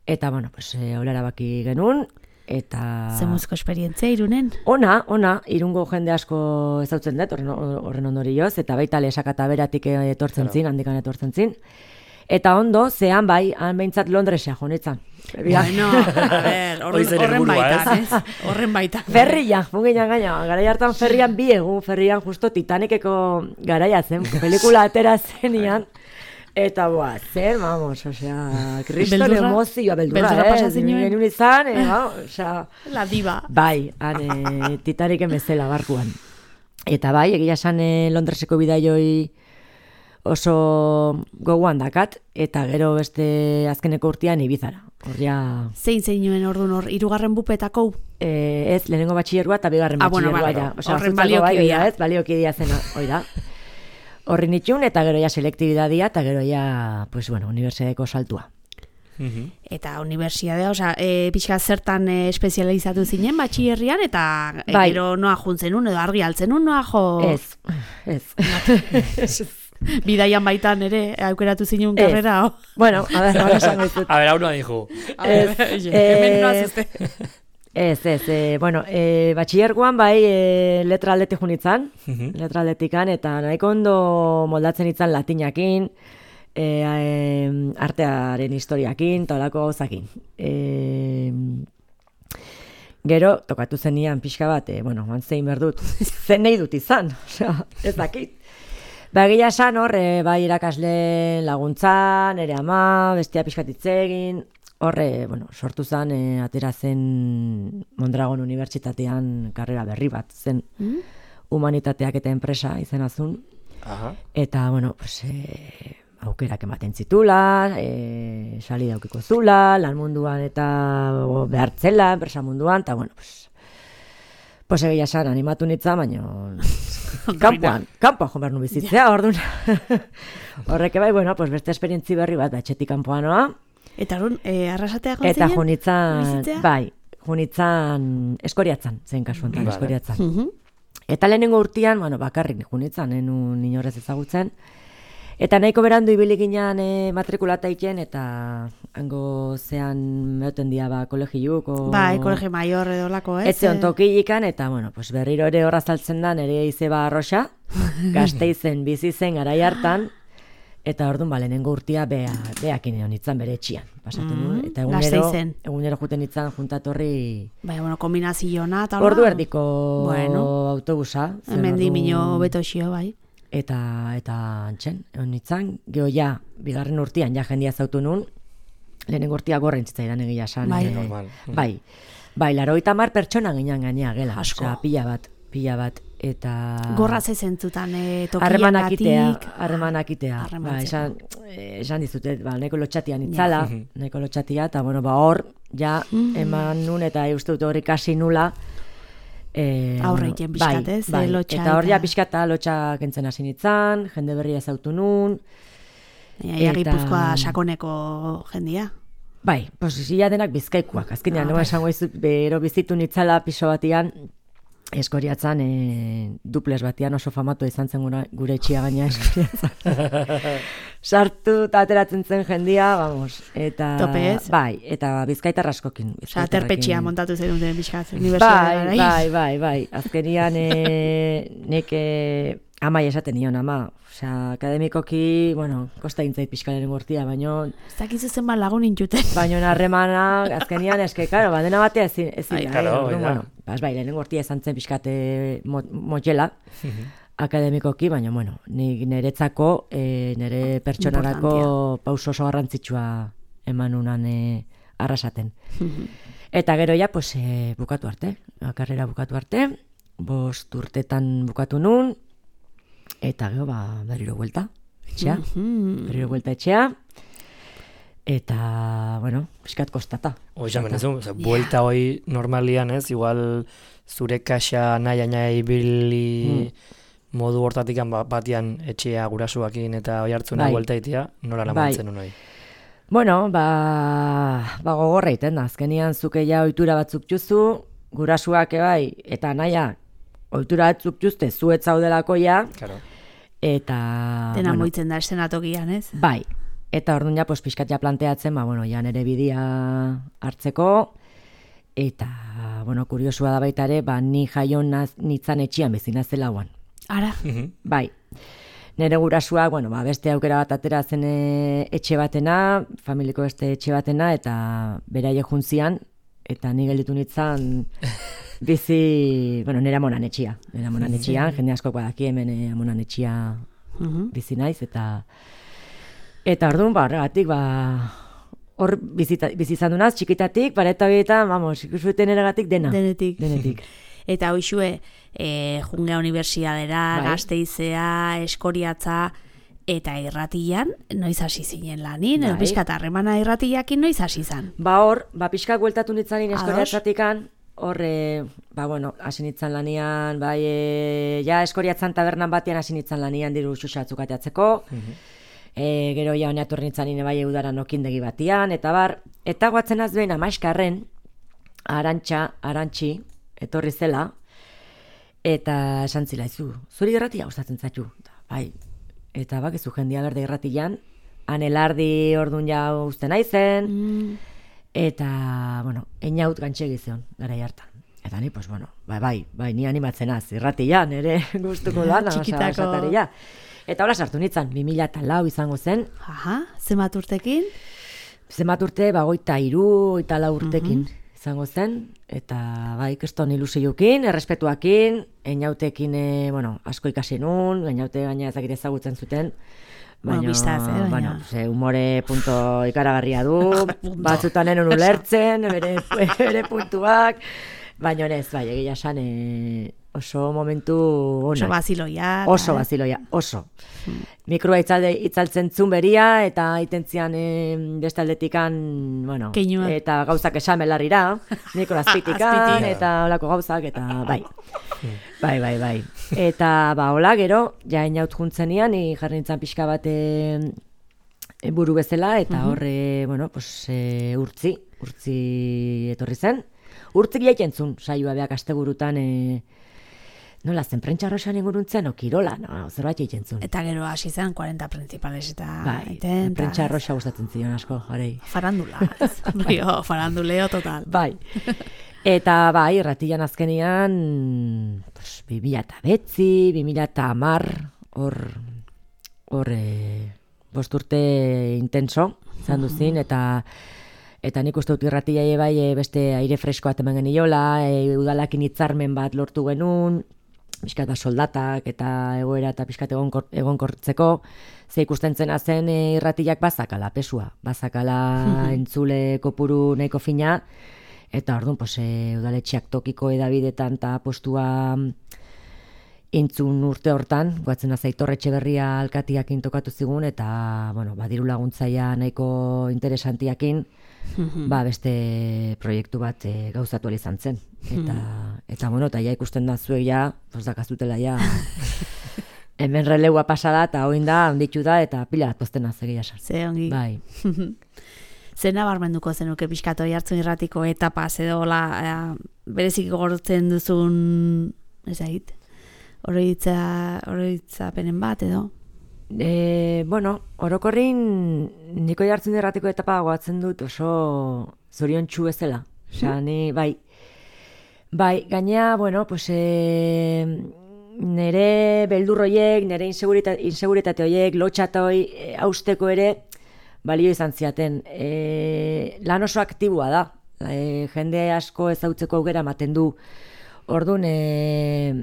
eta bueno, pues, e, holara baki genuen, eta... Zemuzko esperientzia Irunen? Ona, ona, Irungo jende asko ezautzen dut, horren, horren ondorioz, eta baita lesak eta beratik etortzen zin, handikan etortzen zin. Eta ondo, zean bai, han behintzat Londresea jonetzan. Bueno, a ver, horren, Hori zen horren helburua, baitan, ez? ez? Horren baitan. Ferria, funginan gaina, garai hartan ferrian bi egun, ferrian justo Titaniceko garaia zen, pelikula atera zenian, eta boa, zen, vamos, osea, kriston Beldurra? emozioa, beldurra, Beldurra eh, pasa zinuen? genuen izan, eh, vamos, osea, La diva. bai, han e, Titanicen bezala barkuan. Eta bai, egia esan e, Londreseko bidaioi oso gogoan dakat, eta gero beste azkeneko urtean Ibizara. Horria, Zein zein nuen orduan hor, irugarren bupetako? e, ez, lehenengo batxillergoa eta bigarren Ah, bueno, batxillergoa. vale, ja. Osea, horren bazutzako bai, baliokidea. oida, ez, baliokidea zena, oida. Horri nitxun, eta gero ja selektibidadia, eta gero ja, pues bueno, unibertsitateko saltua. Mhm. Eta unibertsiadea, osea, e, pixka zertan e, espezializatu zinen batxillerrian, eta e, Bai. gero noa juntzen un, edo argi altzen un, noa jo... Ez, ez. Bidaian baitan ere, aukeratu zinen Ez. karrera, o? Bueno, a ver, ahora esango dizut. A ber, hau noa dijo. Ez, Hemen eh, noa zuzte. Ez, ez, e, bueno, e, batxillergoan bai e, letra aldetik junitzan, Mhm. letra aldetikan, eta nahiko ondo moldatzen itzan latinakin, e, e, artearen historiakin, eta olako gauzakin. E, gero, tokatu zenian pixka bat, e, bueno, man zein berdut, zen nahi dut izan, osea, ez dakit. Ba, egia esan hor, e, bai irakasle laguntzan, ere ama, bestia pixkat hitz egin, horre, bueno, sortu zen, e, atera zen Mondragon Unibertsitatean karrera berri bat, zen Mm? humanitateak eta enpresa izenazun, Aha. eta, bueno, pues, e, aukerak ematen zitula, e, sali daukiko zula, lan munduan eta o, behartzela, enpresa munduan, eta, bueno, pues, pues egia esan animatu nitza, baina kanpoan, kanpoan jo behar nu bizitzea, orduan. Horrek bai, bueno, pues beste esperientzi berri bat, etxetik kanpoan noa, Eta orduan, e, arrasatea joan eta zinen? junitzan, bizitzea? bai, junitzan eskoriatzan, zen kasu honetan, Vale. eskoriatzan. Mhm. Eta lehenengo urtean, bueno, bakarrik junitzan, enun inorez ezagutzen. Eta nahiko berandu ibili ginen e, matrikulata iten, eta hango zean meoten dia ba, kolegiuk, o... Bai, kolege maior edo lako, ez? Ez zeon tokilikan, eta, bueno, pues berriro ere horra zaltzen da, nire izeba arroxa, Gasteizen bizi zen garai hartan, eta orduan, ba, lehenengo urtia bea, beakin egon itzan bere etxian. Pasatu Mm, nuen, eta egunero, Gasteizen. egunero juten itzan juntatorri Bai, bueno, kombinaziona, eta hola. ordu erdiko Bueno. autobusa. zen Hemen ordu- dimino beto xio, bai. Eta, eta antxen, egon itzan, geho ja, bigarren urtean, ja jendia zautu nun, lehenengo urtia gorren zitzaidan egia esan. Bai. eh, Normal. Bai, bai, larogeita hamar pertsona ginen gainea gela. Asko. Osea, pila bat, pila bat, eta... Gorra ze zentzutan, e, Harremanak itea, tokiagatik. harremanak itea. Harremantzeko. Ba, esan, eh, esan dizutet, ba, nahiko lotxatian itzala, Ja. nahiko lotxatia, eta bueno, ba, hor, ja, Mhm. eman nun, eta uste dut hori kasi nula, eh, Aurre bueno, egiten pixkat, bai, ez? bai. Eh, lotxa Eta hor eta- ja pixkata lotxa kentzen hasi nitzan, jende berria ezautu nun, Ja, eta- Gipuzkoa sakoneko jendia. bai, pues ia denak bizkaikuak, azkenean, Ah, no bai. esango izut, bero bizitu nitzala piso batian, Eskoriatzan e, duples batian oso famatu izan zen gura, gure etxia gaina Eskoriatzan. Sartu eta ateratzen zen jendia, vamos. Eta, Topez. Bai, eta bizkaitar askokin. Osa, terpetxia montatu zen duten bizkaz. Bai, bai, bai, bai. Azkenian e, nek e, amai esaten nion, ama. Osea, akademikoki, bueno, kosta intzait pixkalaren gortia, baino... Ez dakizu zenbat lagun intxuten. Baino harremana, azkenian, eske, karo, bandena batea ezin, ezin Ai, da, claro, eh? bai, Bueno, bas, bai, lehenen gortia esan zen pixkate motxela, akademikoki, baina, bueno, nik niretzako, e, nire pertsonarako pauso oso garrantzitsua eman unan e, arrasaten. Eta gero ja, pues, e, bukatu arte, karrera bukatu arte, bost urtetan bukatu nun, eta gero, ba, berriro buelta, etxea, berriro buelta etxea, eta, bueno, piskat kostata. Hoi esan benezu, buelta hoi normalian ez, igual zure kaxa nahi nahi bili modu hortatik batian etxea gurasuakin eta oi hartzuna buelta itia, nola lamantzen bai. Unoi? Bueno, ba, ba gogorra iten da, azkenian zuke ja ohitura batzuk juzu, gurasuak ebai, eta naia, ohitura batzuk juzte, zuet zaudelako ja, claro. Eta... Dena bueno, moitzen da estenatokian, ez? Bai, eta orduan ja, pues, pixkat ja planteatzen, ba, bueno, ja nere bidia hartzeko, eta, bueno, kuriosua da baita ere, ba, ni jaion nitzan etxian bezina zelauan. Ara? Bai. Nere gurasua, bueno, ba, beste aukera bat atera zen etxe batena, familiko beste etxe batena, eta beraie juntzian, eta ni gelditu nitzan bizi, bueno, nire amonan etxia. Nire amonan etxian, jende asko badaki hemen amonan etxia bizi naiz, eta eta orduan, ba, horregatik, ba, hor bizi izan dunaz, txikitatik, bareta bietan, vamos, ikusuten eregatik dena. Denetik. Denetik. Eta hoxue, e, Jungea Unibertsiadera, bai. Gasteizea, Eskoriatza, eta irratian, noiz hasi zinen lanin, bai. Piskat harremana irratiakin noiz hasi zan. Ba hor, ba pixkak bueltatu nitzanin Eskoriatzatikan, hor, e, ba bueno, hasi nitzan lanian, bai, e, ja Eskoriatzan tabernan batean hasi nitzan lanian diru xuxatzuk ateatzeko, e, gero ja honeaturri nitzanin bai udaran okindegi batian, eta bar, eta guatzen azbein amaiskarren, arantxa, arantxi, etorri zela, eta esan zilaizu, zuri irratia gustatzen zaitu, bai, eta bakizu jendia berde irratian, anelardi ordun ja uste naizen, mm. eta, bueno, einaut gantxegi zion, gara hartan. Eta ni, pues, bueno, bai, bai, bai, ni animatzen az, irratian, ere gustuko lana, txikitako. Ja. Eta hola sartu nitzan, bi mila lau izango zen. Aha, zenbat urtekin? Zenbat urte, bagoita iru, eta lau urtekin. Mm-hmm. Izango zen, eta bai, keston ilusioekin, errespetuakin, einautekin, e, bueno, asko ikasi nun, einaute gaina ezakit ezagutzen zuten, baina, bueno, biztaz, eh, baina. Bueno, ze humore punto ikaragarria du, batzutan enon ulertzen, bere, bere puntuak, baina ez, bai, egia esan, e, oso momentu onak. Oso baziloia. Oso baziloia, oso. Hmm. Mikroa itzalde, itzaltzen zun beria, eta itentzian e, beste aldetikan, bueno, Keinua. Eta gauzak esan belarrira, mikro azpitikan, eta olako gauzak, eta bai. Bai, bai, bai. Eta, ba, hola, gero, ja inaut juntzenian, jarri nintzen pixka bat e, buru bezala, eta uh-huh. horre, bueno, pues, e, urtzi, urtzi etorri zen. Urtzik jaiken zun, saioa beak asteburutan, e, nola zen, prentxarroxan inguruntzen, o kirola, no, zerbait egiten zuen. Eta gero hasi zen, cuarenta principales eta... Bai, prentxarroxa gustatzen zion asko, jarei. Farandula, bio, faranduleo total. Bai, eta bai, irratian azkenian, pues, bi mila eta betzi, bi mila eta hamar, hor, hor, e, bost urte intenso, zan duzin, eta... Eta nik uste dut irratia bai e, beste aire freskoa temen geniola, e, udalakin hitzarmen bat lortu genuen, pixkat soldatak eta egoera eta pixkat egonkortzeko, ze ikusten zena zen e, irratiak bazakala, pesua, bazakala entzule kopuru nahiko fina, eta orduan, pues, e, udaletxeak tokiko edabidetan eta postua intzun urte hortan, guatzen azaitor Etxeberria alkatiakin tokatu zigun, eta, bueno, badiru laguntzaia nahiko interesantiakin, ba, beste proiektu bat e, gauzatu izan zen. Eta, eta bueno, eta ja ikusten da zuek ja, pues dakazutela ja, hemen releua pasada, eta hoin da, onditu da, eta pila bat pozten azegia sar. Ze ongi. Bai. Zer nabarmenduko zenuke pixkato jartzen irratiko etapa, edo la, berezik gortzen duzun ez ahit. Oroitza, oroitzapenen bat, edo? E, bueno, orokorrin niko jartzen erratiko etapa goatzen dut oso zorion txu ezela. Osa, ni, bai, bai, gainea, bueno, pues, e, nere beldurroiek, nere inseguritate, inseguritate horiek, lotxatoi, e, hausteko ere, balio izan ziaten. E, lan oso aktiboa da. E, jende asko ezautzeko aukera ematen du. Orduan, e,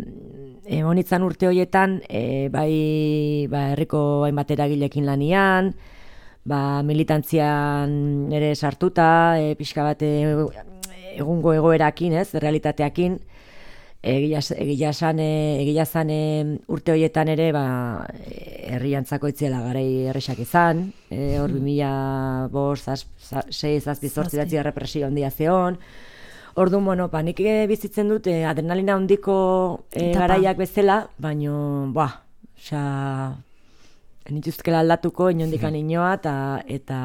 e, honitzan urte horietan, e, bai, ba, herriko hainbat eragilekin lanian, ba, militantzian ere sartuta, e, pixka bat e, egungo egoerakin, ez, realitateakin, egia esan egia zan urte horietan ere ba herriantzako itzela garai erresak izan, e, hor bi mila bost, sei, zazpi, zortzi datzi represio handia zeon. Orduan, bueno, ba, nik bizitzen dut eh, adrenalina handiko eh, garaiak bezala, baino, ba, osea, nituzkela aldatuko inondikan inoa, eta, eta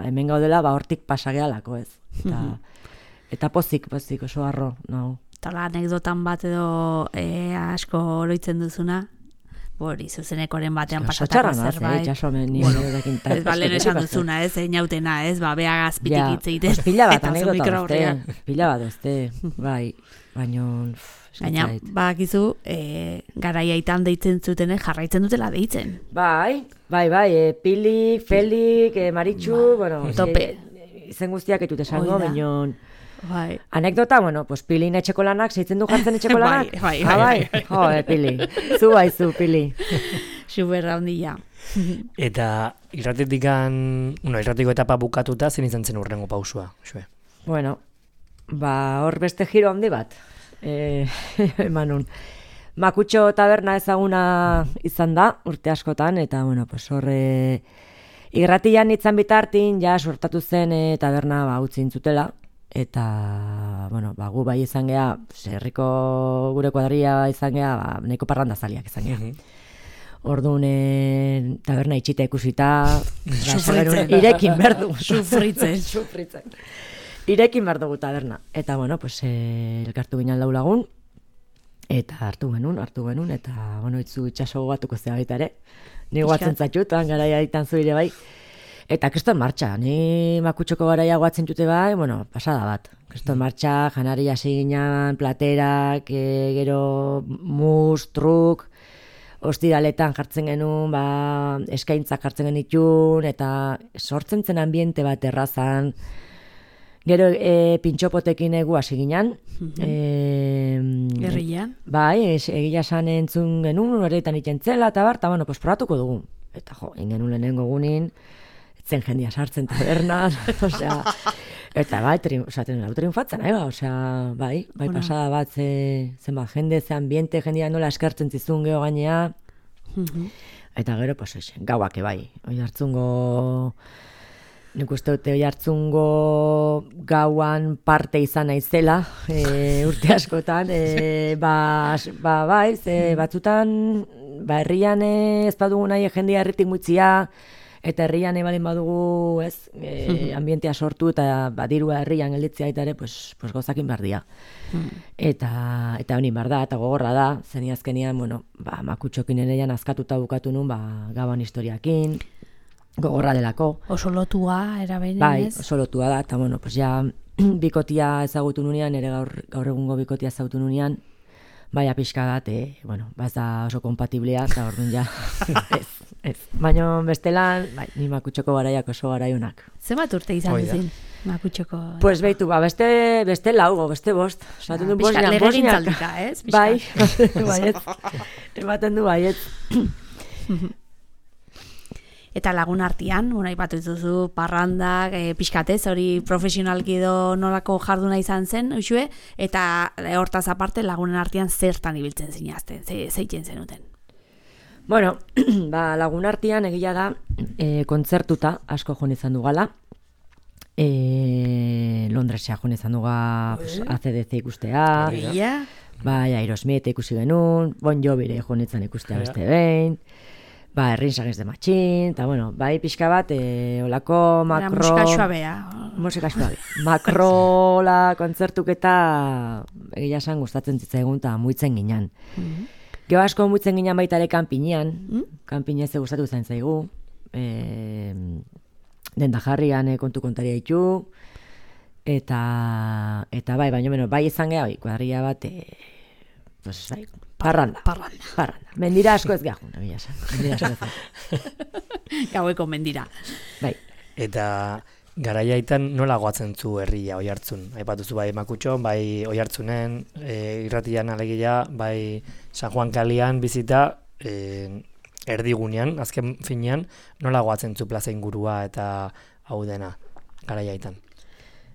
hemen gaudela, ba, hortik pasagealako, ez. Eta, eta pozik, pozik, oso harro, no. Eta anekdotan bat edo e, asko oroitzen duzuna, hori, zuzenekoren batean pasatako zerbait. Jasomen, ni bueno, ez balen esan duzuna, ez, inautena, ez, ba, beha gazpitik itzeiten. Ja, pila bat anekdota dozte, pila bat dozte, bai, baino... Gaina, bakizu, e, garaiaitan deitzen zuten, jarraitzen dutela deitzen. Bai, bai, bai, e, Pilik, Felik, e, Maritxu, ba, bueno, tope. E, izen guztiak etut esango, baino... Bai. Anekdota, bueno, pues Pilin etxeko lanak, zeitzen du jartzen etxeko lanak? bai, bai, bai, bai, bai. Jo, e, Pili, zu bai zu, Pili. Superra handia. Eta irratetikan, bueno, irratiko etapa bukatuta, zen izan zen urrengo pausua, xue? Bueno, ba, hor beste giro handi bat, e, emanun. Makutxo taberna ezaguna izan da, urte askotan, eta, bueno, pues horre, irratian itzan bitartin, ja, sortatu zen e, taberna ba, utzin zutela, eta, bueno, ba, gu bai izan geha, herriko gure kuadria izan geha, ba, nahiko parrandazaliak izan geha. Orduan, e, taberna itxita ikusita, sufritzen, irekin berdu. Sufritzen. Sufritzen. Irekin berdugu taberna. Eta, bueno, pues, e, elkartu ginen lau lagun, eta hartu genuen, hartu genuen, eta, bueno, itzu itxaso batuko zea baita ere. Ni guatzen zatxutan, garaia ditan zuire bai. Eta kriston martxa, ni makutxoko garaia guatzen jute bai, bueno, pasada bat. Kriston martxa, janari hasi ginen, platerak, e, gero mus, truk, ostiraletan jartzen genuen, ba, eskaintzak jartzen genitun, eta sortzen zen ambiente bat errazan. Gero e, pintxopotekin egu hasi ginen. Gerrian? Bai, egia esan entzun genuen, horretan ikentzela, eta bar, eta bueno, pues probatuko dugu. Eta jo, ingenuen lehenengo gunin, zen jendia sartzen tabernan, osea, eta bai, tri, osea, lau triunfatzen, nahi ba, osea, bai, bai bueno. Pasada bat, ze, zen bat, jende, ze ambiente, jendia nola eskertzen zizun geho gainea, uh-huh. Eta gero, pues, esen, gauak bai, oi hartzungo, nik uste dute oi hartzungo gauan parte izan naizela, e, urte askotan, e, ba, ba, bai, ze batzutan, ba, herrian ez badugu nahi jendia herritik muitzia, eta herrian ebalin badugu, ez, e, ambientea sortu eta badirua herrian gelditzea eta ere, pues, pues gozakin behar dira. Eta, eta honi behar da, eta gogorra da, zeni azkenian, bueno, ba, makutxokin ereian azkatuta bukatu nun, ba, gaban historiakin, gogorra delako. Oso lotua, erabeinen, bai, ez? Oso lotua da, eta, bueno, pues ja, bikotia ezagutu nunean, ere gaur, gaur egungo bikotia ezagutu nunean, baina pixka bat, eh, bueno, ba ez da oso kompatiblea, eta orduan ja, ez, ez. Baina bestelan, bai, ni makutxoko garaiak oso garaiunak. Zenbat urte izan duzin, makutxoko? Pues beitu, ba, beste, beste laugo, beste bost. Ja, pixka legegintzaldika, ez? Bai, baiet, ematen du baiet. Eta lagun artean, unai bat duzu parrandak, e, pixkatez, hori profesionalki edo nolako jarduna izan zen, uxue, eta hortaz aparte lagunen artean zertan ibiltzen zinazten, ze, zeiten zenuten. Bueno, ba, lagun artean egia da, e, kontzertuta asko joan izan dugala, e, Londresea joan izan duga pues, A C D C ikustea, Egia? bai, Aerosmith ikusi genuen, Bon Jovire joan izan ikustea beste behin, ba, Errinsages de Matxin, eta bueno, bai pixka bat, e, olako makro... Musika suabea. Musika suabea. Makrola kontzertuketa egia esan gustatzen zitzaigun eta muitzen ginen. Mm-hmm. Gero asko muitzen ginen baita ere kanpinean, mm? Kanpinez gustatu zain zaigu, e, denda jarrian e, kontu kontaria ditu, eta, eta bai, baina beno, bai izan geha, bai, kuadrilla bat, e, pues, bai, parranda. Parranda. Parranda. Mendira asko ez gehun, egia esan. Mendira asko ez gehun. Gaueko mendira. Bai. Eta garaiaitan nola goatzen zu herria Oiartzun? Aipatuzu bai Makutxon, bai Oiartzunen, e, irratian alegia, bai San Juan Kalian bizita, e, erdigunean, azken finean, nola goatzen zu plaza ingurua eta hau dena garaiaitan?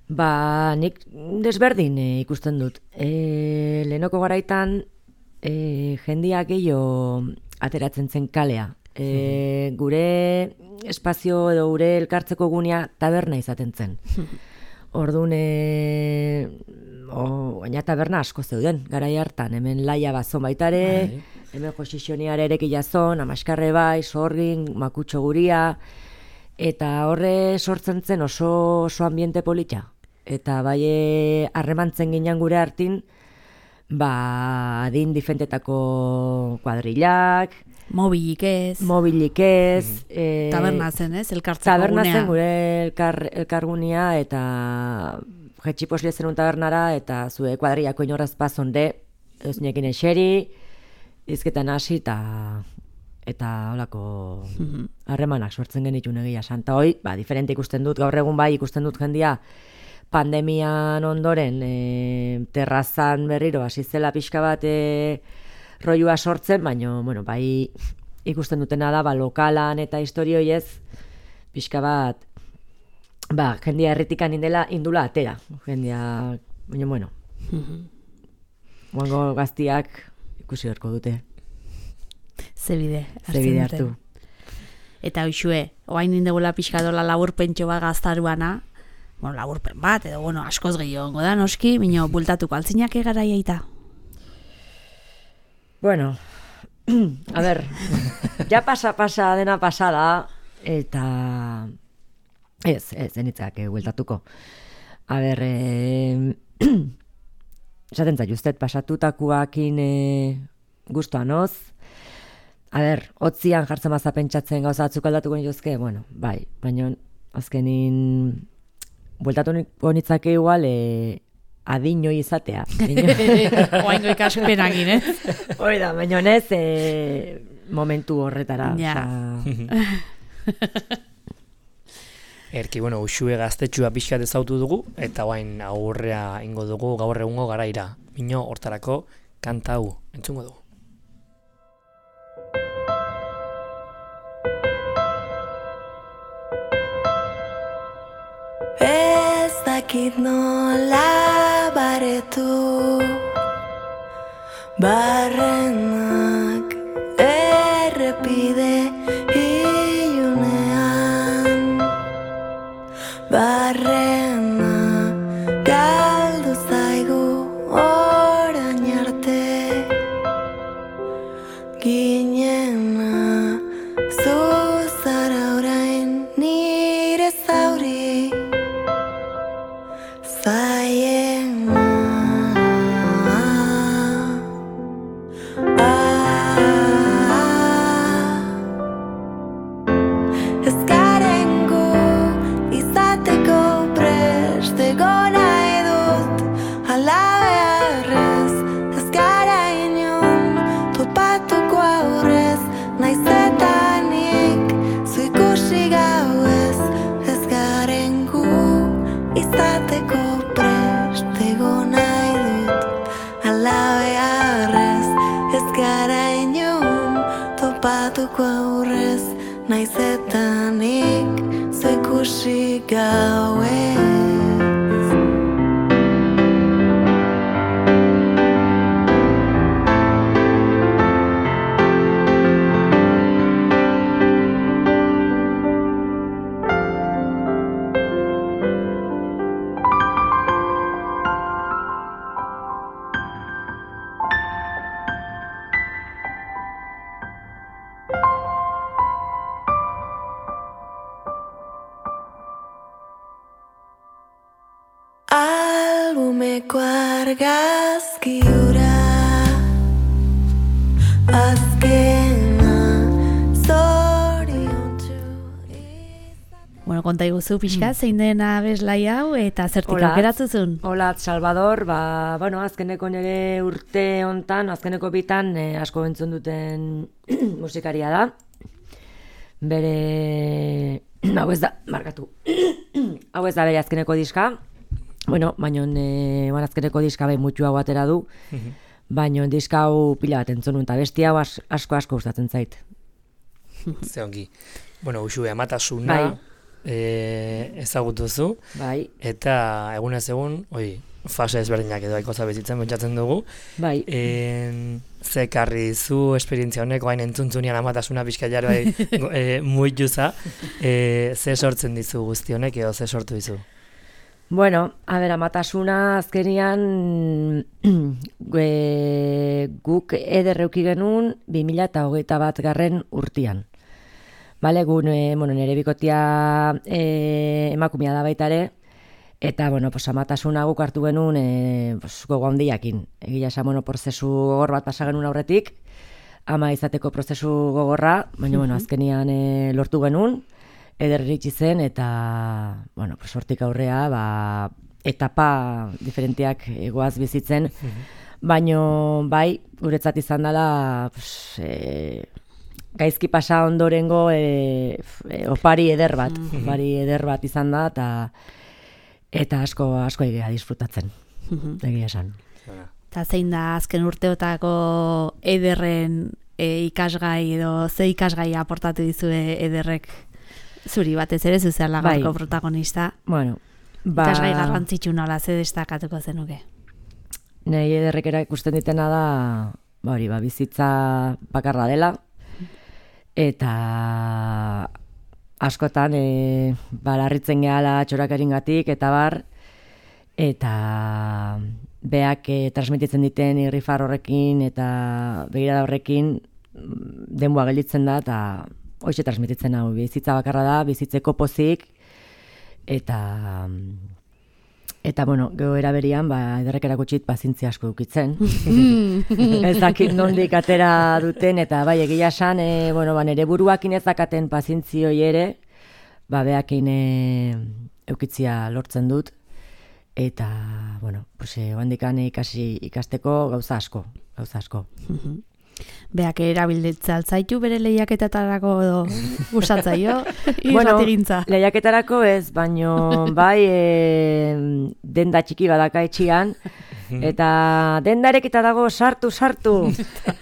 Ba, nik desberdin e, ikusten dut. E, lehenoko garaitan e, jendia gehiago ateratzen zen kalea. E, gure espazio edo gure elkartzeko gunea taberna izaten zen. Orduan, e, o, baina taberna asko zeuden, garai hartan, hemen laia bazon baitare, bai. Hemen josixioniare ere kilazon, amaskarre bai, sorgin, makutxo guria, eta horre sortzen zen oso, oso ambiente polita. Eta bai harremantzen ginen gure hartin, ba, adin difentetako kuadrillak, mobilik ez. Mobilik ez. Mm. E, taberna zen, ez? Elkartzeko taberna gunea. Taberna zen gure elkar, elkargunea, eta jetxiposle zen un tabernara, eta zue kuadrillako inoraz pazonde, eusinekin eseri, izketan hasi, eta eta holako harremanak mm-hmm. sortzen genitun egia santa hoi, ba, diferente ikusten dut, gaur egun bai ikusten dut jendia, pandemian ondoren e, terrazan berriro hasi zela pixka bat e, roiua sortzen, baina bueno, bai ikusten dutena da ba, lokalan eta historioi ez pixka bat ba, jendia herritikan indela indula atera. Jendia, baina bueno, guango gaztiak ikusi berko dute. Zebide, Zebide hartu. Eta hoxue, oain indegula pixka dola laburpentxo bat gaztaruana, bueno, laburpen bat, edo, bueno, askoz gehiago da, noski, minio, bultatuko altzinak egaraiaita. Bueno, a ber, ja pasa, pasa, dena pasada, eta ez, ez, zenitzak, eh, bultatuko. A ber, eh, esaten zaituztet, pasatutakuakin eh, guztuan oz, a ber, otzian jartzen maza pentsatzen gauza atzuk aldatuko nituzke, bueno, bai, baina azkenin bueltatu honitzake igual e, adinoi izatea. Oaingo ikaspenagin, eh? Hoi da, baina ez e, momentu horretara. Ja. Erki, bueno, usue gaztetxua pixkat ezautu dugu, eta oain aurrea ingo dugu gaur egungo garaira. Mino hortarako kanta hau entzungo dugu. Ez dakit nola baretu barrenak errepide ilunean barrena galdu zaigu orain arte ginena zuzara orain nire zauri Zaiena ah, ez garen gu izateko prest egon nahi dut ala beharrez ez gara inon topatuko aurrez naiz eta nik zu ikusi gauez ez garen gu izateko Topatuko aurrez, naiz eta nik zu ikusi gauez. argazki hura azkena zoriontsu. Bueno, konta iguzu pixka, zein den abeslai hau eta zertik aukeratzuzun? Hola, Salvador, ba, bueno, azkeneko nire urte hontan, azkeneko bitan eh, asko entzun duten musikaria da. Bere, hau ez da, markatu, hau ez da bere azkeneko diska, bueno, baina e, azkeneko diska bai mutxu hau atera du, baina diska hau pila bat entzun eta besti hau as, asko asko gustatzen zait. Ze ongi. Bueno, Uxue, amatasuna Bai. e, ezagutuzu, Bai, eta egunez egun, oi, fase ezberdinak edo aiko zabezitzen pentsatzen dugu. bai. En, ze karri zu esperientzia honek, oain entzuntzunian amatasuna pixka jaro bai, e, muituza, e, ze sortzen dizu guzti honek edo ze sortu dizu? Bueno, a ber, amatasuna azkenian e, guk ederreuki genuen bi mila hogeita bat garren urtian. Bale, gu e, bueno, nire bikotia e, emakumea da baita ere, eta, bueno, pues, amatasuna guk hartu genuen e, pues, gogo handiakin. Egia esan, bueno, prozesu gogor bat pasa genuen aurretik, ama izateko prozesu gogorra, baina, bueno, azkenian e, lortu genuen, eder iritsi zen, eta, bueno, pues, hortik aurrea, ba, etapa diferenteak egoaz bizitzen, baina, bai, guretzat izan dela, pues, e, gaizki pasa ondorengo e, e, opari eder bat, opari eder bat izan da, eta eta asko asko egia disfrutatzen, egia esan. Eta zein da azken urteotako ederren e, ikasgai edo ze ikasgai aportatu dizue ederrek zuri batez ere zuzela gaurko Bai. protagonista. Bueno, ba, Ikasgai garrantzitsu nola ze destakatuko zenuke. nahi ederrek ikusten ditena da, ba hori, ba, bizitza bakarra dela, eta askotan e, balarritzen gehala txorakeringatik eta bar, eta beak e, transmititzen diten irrifar horrekin eta begirada horrekin denboa gelditzen da, eta hoxe transmititzen hau, bizitza bakarra da, bizitzeko pozik, eta eta bueno, gero eraberian, ba, ederrek erakutsit pazientzia asko dukitzen. Ez dakit nondik atera duten, eta bai, egia esan, e, bueno, ba, nire buruakin ez dakaten pazientzioi ere, ba, beakin e, eukitzia lortzen dut, eta, bueno, pues, e, oandikan ikasi ikasteko gauza asko, gauza asko. Beak erabiltza altzaitu bere lehiaketetarako edo gusatzaio Bueno, irratigintza. lehiaketarako ez, baino bai e, denda txiki badaka etxian, eta dendarekita dago sartu, sartu,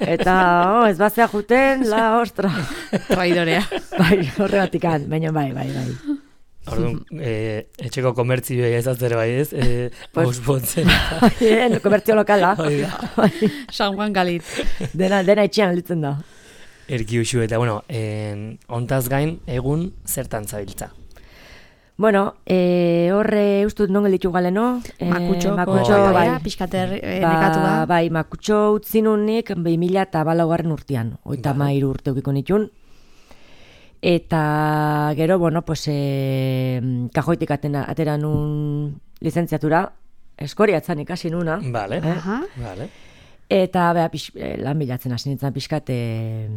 eta oh, ez bazea juten, la ostra. Traidorea. Bai, horregatikan, baina bai, bai, bai. Orduan, e, etxeko komertzioa ez azter bai ez, e, Pues- auspotzen. Bien, komertzio lokala. Hori da. San Juan Galit. Dena, dena etxean litzen da. Erki Uxue, eta bueno, en, ontaz gain, egun zertan zabiltza. Bueno, e, horre ustut non gelditu galeno. E, Makutxo, makutxo, bai, bai. pixkater e, Ba, nekatu da. bai, makutxo utzi nunik bi mila eta balaugarren urtean, oita Bai. mairu urte ukiko nitun. Eta gero, bueno, pues, e, kajoitik atena, atera nun lizentziatura, eskoriatzen ikasi nuna. Vale, Eh? Aha. vale. Eta beha, pix, eh, lan bilatzen hasi nintzen pixkat e,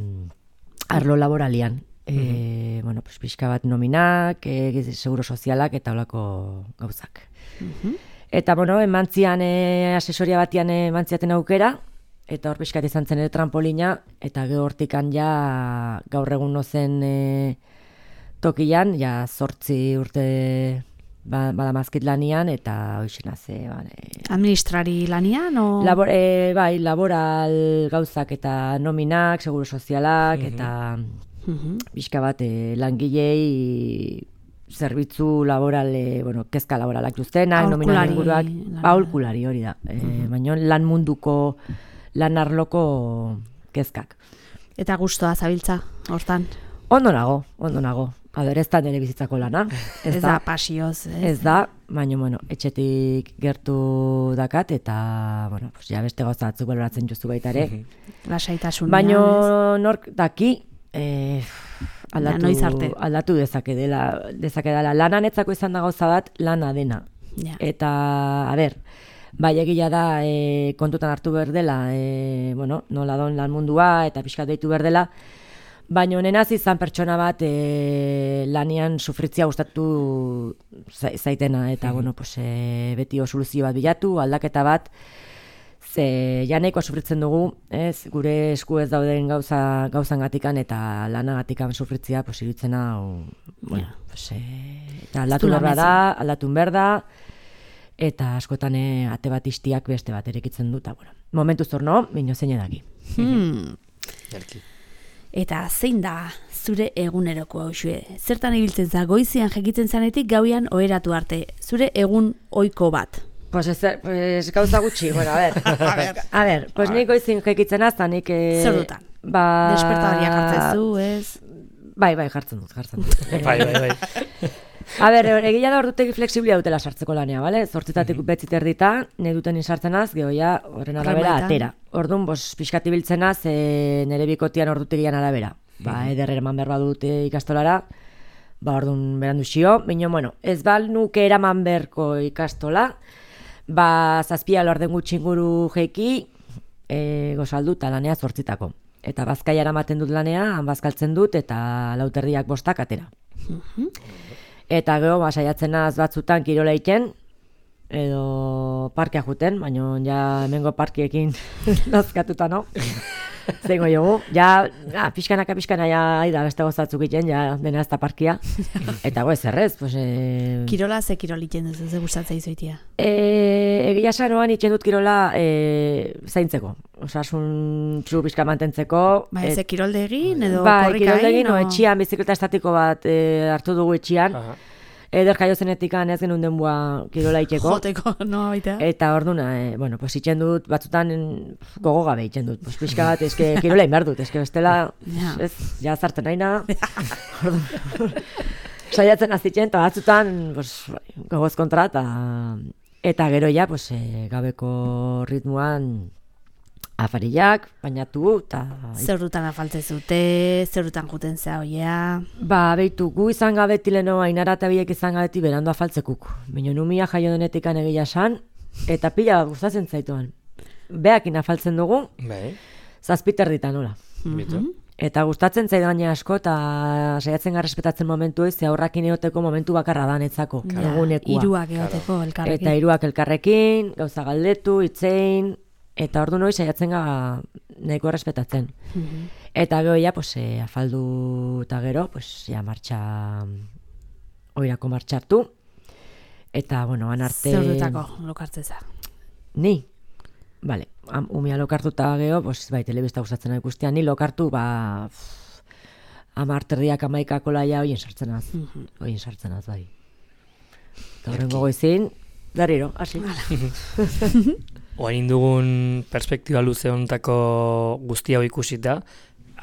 arlo laboralian. E, bueno, pues, pixka bat nominak, e, seguro sozialak eta holako gauzak. Eta, bueno, emantzian e, asesoria batian emantziaten aukera, eta hor pixkat izan zen ere trampolina, eta gero hortikan ja gaur egun nozen e, tokian, ja zortzi urte ba, badamazkit lanian, eta hoxena ze, ba, e, Administrari lanian o... Labor, e, bai, laboral gauzak eta nominak, seguro sozialak, eta Mhm. pixka bat e, langilei zerbitzu laboral, e, bueno, kezka laboralak duztenak, nominan Aholkulari inguruak, lana. aholkulari hori da. E, baina lan munduko, lan arloko kezkak. Eta gustoa zabiltza, hortan. Ondo nago, ondo nago. Aber, ez da nire bizitzako lana. Ez da pasioz, ez? Ez da, baina, bueno, etxetik gertu dakat, eta, bueno, pues, ja beste gauza batzuk baloratzen justu baita ere. Lasaitasunean, Baina nork daki, eh, aldatu, noiz arte. aldatu dezake dela, dezake dela. Lananetzako izan da gauza bat, lana dena. ez? Ja. Eta, a ber, Bai, egia da, e, kontutan hartu behar dela, e, bueno, nola don lan mundua eta pixkat deitu behar dela, baina nenaz izan pertsona bat e, lanian sufritzia gustatu zaitena, eta bueno, pues, e, beti soluzio bat bilatu, aldaketa bat, ze janeikoa sufritzen dugu, ez, gure esku ez dauden gauza, gauzangatikan eta lanagatikan sufritzia, pues, iruditzena, o, bueno, pues, e, eta aldatu behar da, aldatu behar da, eta askotan e, ate bat istiak beste bat erekitzen dut, bueno, momentu zorno, bino zein edaki. Hmm. Eta zein da zure eguneroko hau xue? Zertan ibiltzen za, goizian jekitzen zanetik gauian oheratu arte, zure egun ohiko bat? Pues, ez, pues gauza gutxi, bueno, a ver, a ver, a ver pues nik goizin jekitzen azta, nik... E, Zer dutan? Ba... Despertadoriak hartzen zu, ez? Bai, bai, jartzen dut, jartzen dut. bai, bai, bai. A ber, egia da ordutegi fleksiblia dutela sartzeko lanea, bale? Zortzitatik mm-hmm. betzit erdita, ne duten izartzenaz, gehoia horren arabera atera. Orduan, bos, pixkat ibiltzenaz, e, nere bikotian ordutegian arabera. Ba, mm-hmm. eder eraman behar badut ikastolara, ba, orduan berandu xio. Baina, bueno, ez bal nuke eraman beharko ikastola, ba, zazpia lorden gutxinguru jeiki, e, gozaldu eta lanea zortzitako. Eta bazkaia eramaten dut lanea, han bazkaltzen dut, eta lauterdiak bostak atera. Mm-hmm. Eta gero, ba, saiatzen az batzutan kirola iten, edo parkea juten, baina ja hemengo parkiekin nazkatuta, no? Zengo jogu, ja, ja pixkanaka pixkana ja, aida, beste gozatzuk iten, ja, dena ez da parkia. Eta goez errez, pues... E... Kirola ze kirol iten duzu, ze gustatzea izoitia? E, egia sanoan iten dut kirola e, zaintzeko. Osasun txu pixka mantentzeko. Ba, ez kirolde egin, edo ba, korrika egin? Ba, kirolde egin, o etxian, bizikleta estatiko bat e, hartu dugu etxian. Aha. Eder jaio zenetikan ez genuen denboa kirola iteko. Joteko, no, baitea. Eta orduna, e, bueno, pues itxen dut, batzutan gogo gabe itxen dut. Pues pixka bat, eske kirola inbar dut, eske bestela, ja, ez, ja zartzen naina. Saiatzen azitzen, eta batzutan, pues, gogoz kontra, eta, eta gero ja, pues, e, gabeko ritmoan, afarillak, bainatu, eta... Zer dutan afaltze zute, zer dutan juten zea oia... Ba, behitu, gu izan gabeti leno, ainara eta biek izan gabeti berando afaltzekuk. Baina numia jaio denetikan egia san, eta pila gustatzen zaituan. Beakin afaltzen dugu, bai. Zazpiter ditan, nola. Mm-hmm. Eta gustatzen zaitu gaine asko, eta saiatzen garrespetatzen momentu ez, ze aurrakin eoteko momentu bakarra da netzako, ja, egunekua. Iruak eoteko elkarrekin. Eta iruak elkarrekin, gauza galdetu, itzein... Eta ordu noi saiatzen ga nahiko errespetatzen. Mm-hmm. Eta gero ja, pues, e, afaldu eta gero, pues, ja, martxa, oirako martxartu. Eta, bueno, anarte... Zer dutako lokartzeza? Ni? Bale, umia lokartu eta gero, pues, bai, telebista gustatzen ikustean, ni lokartu, ba, amarterdiak amaikako laia hoien sartzen az. Mm-hmm. Hoien sartzen az, bai. Eta horrengo goizin, darriro, hasi. Oain dugun perspektiba luze honetako guzti hau ikusita,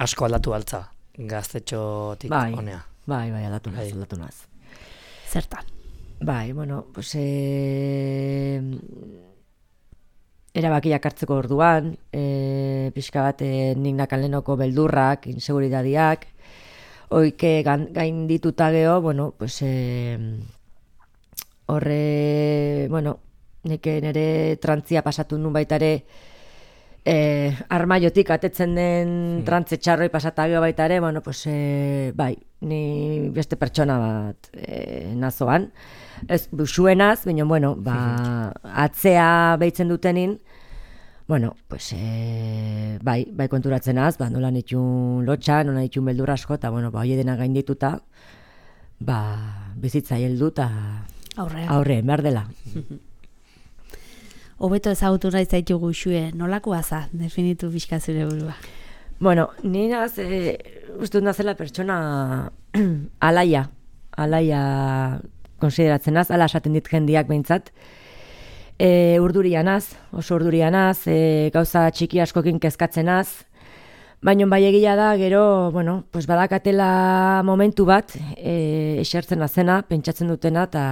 asko aldatu altza gaztetxotik bai, honea. Bai, bai, aldatu naz, aldatu naz. Zertan? Bai, bueno, pues... E... erabakiak hartzeko orduan, e... pixka bat e, nik nakalenoko beldurrak, inseguridadiak, oike gain dituta geho, bueno, pues... E... horre, bueno... Neke nire trantzia pasatu nun baitare eh, armaiotik atetzen den hmm. trantze txarroi pasatagio baitare, bueno, pues, eh, bai, ni beste pertsona bat eh, nazoan. Ez busuenaz, baina, bueno, ba, atzea behitzen dutenin, bueno, pues, eh, bai, bai konturatzen az, ba, nola nitxun lotxa, nola nitxun beldur asko, eta, bueno, ba, hoi edena gaindituta, ba, bizitza heldu eta aurre, behar dela. Hobeto ezagutu nahi zaitu guxue, nolakoa za, definitu pixka zure burua? Bueno, ni naz, e, uste dut nazela pertsona alaia, alaia konsideratzen az, ala esaten dit jendiak behintzat. E, urdurian az, oso urdurian az, e, gauza txiki askokin kezkatzen az, baina bai egia da, gero, bueno, pues badakatela momentu bat, e, esertzen azena, pentsatzen dutena, eta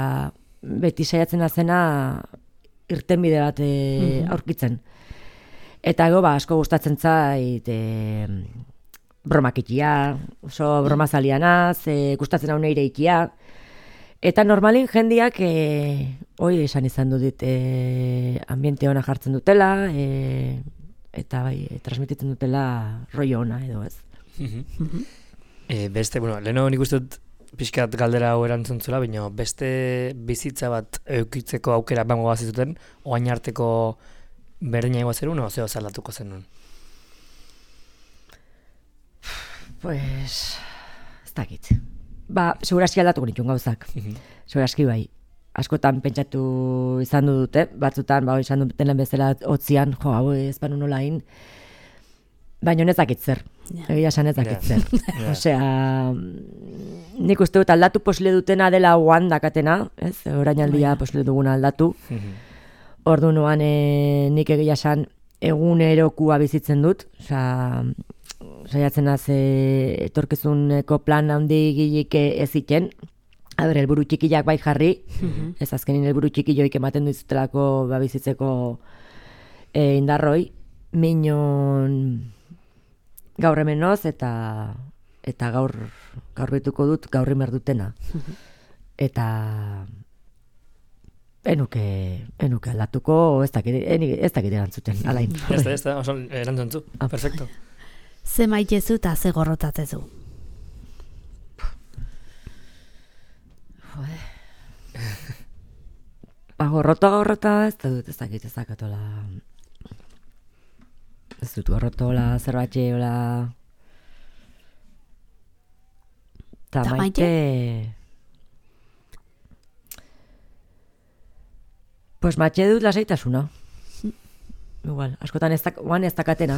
beti saiatzen azena, irtenbide bat e, mm-hmm. aurkitzen. Eta ego, ba, asko gustatzen zait e, bromakitia, oso bromazalianaz, e, gustatzen hau neire ikia, Eta normalin jendiak, e, hoi esan izan du dit, e, ambiente ona jartzen dutela, e, eta bai, e, transmititzen dutela rollo ona edo ez. Mm-hmm. e, beste, bueno, leheno nik uste dut pixkat galdera hau erantzun zula, baina beste bizitza bat eukitzeko aukera bango bazizuten, oain arteko berdina egoa zerun, o zeo zaldatuko zenun? Pues, ez dakit. Ba, seguraski aldatuko nituen gauzak. Seguraski bai. Askotan pentsatu izan du dute, batzutan, ba, izan duten bezala hotzian, jo, hau ez banu nola egin, baina ez dakit zer. Egia esan ez dakit zer. Yeah. Osea, nik uste dut aldatu posle dutena dela oan dakatena, ez? Orainaldia posle duguna aldatu. Ordu noan e, nik egia esan egunerokua bizitzen dut, osea, saiatzen az e, etorkizuneko plan handi gilik ez iten. A ber, helburu txikiak bai jarri, mm-hmm. ez azkenin helburu txikioik ematen duzutelako ba, bizitzeko e, indarroi, minon gaur hemenoz eta eta gaur gaur betuko dut gaurri merdutena. Mm-hmm. Eta enuke, enuke aldatuko, ez dakit, ez dakit erantzuten, alain. Ez da, ez da, oso erantzuntzu, perfecto. Ze maitezu eta ze gorrotatzezu? Ba, gorrota gorrota ez da dut, ez dakit ez dakatola. Ez dut gorrotola, zerbatxe, hola. Ta maite... Pues maite dut lasaitasuna. Igual, askotan ez, oan ez dakatena.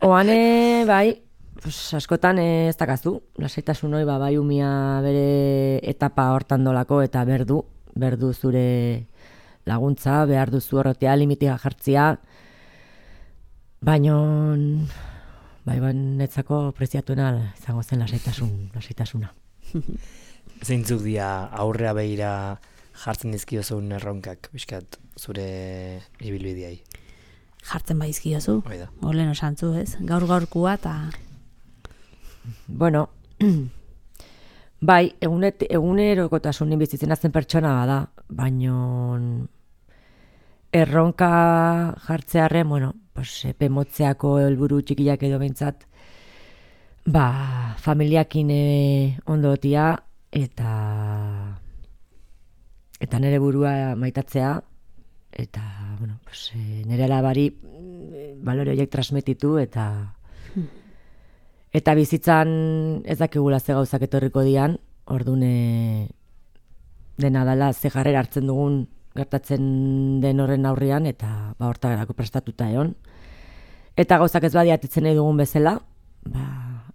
Oane, bai, pues, askotan ez dakazu. Lasaitasun hori, ba, bai umia bere etapa hortan dolako eta berdu, berdu zure laguntza, behar duzu horretea, limitia jartzia. Baina, bai, bai, netzako preziatuena izango zen lasaitasun, lasaitasuna. Zeintzuk dia aurrea behira jartzen dizkiozun erronkak, bizkat, zure ibilbideai? Jartzen baizkiozu, Oida. Olen osantzu, ez? Gaur gaurkua eta... Bueno, bai, egunet, egunerokotasunin bizitzen azten pertsona bada, baino erronka jartzearren, bueno, pues, epe motzeako helburu txikiak edo behintzat, ba, familiakin ondotia eta eta nire burua maitatzea, eta, bueno, pues, nire alabari balore horiek transmititu, eta eta bizitzan ez dakigula ze gauzak etorriko dian, ordune dena dela ze jarrera hartzen dugun gertatzen den horren aurrean, eta ba, hortarako prestatuta egon. Eta gauzak ez badiatitzen nahi dugun bezala, ba,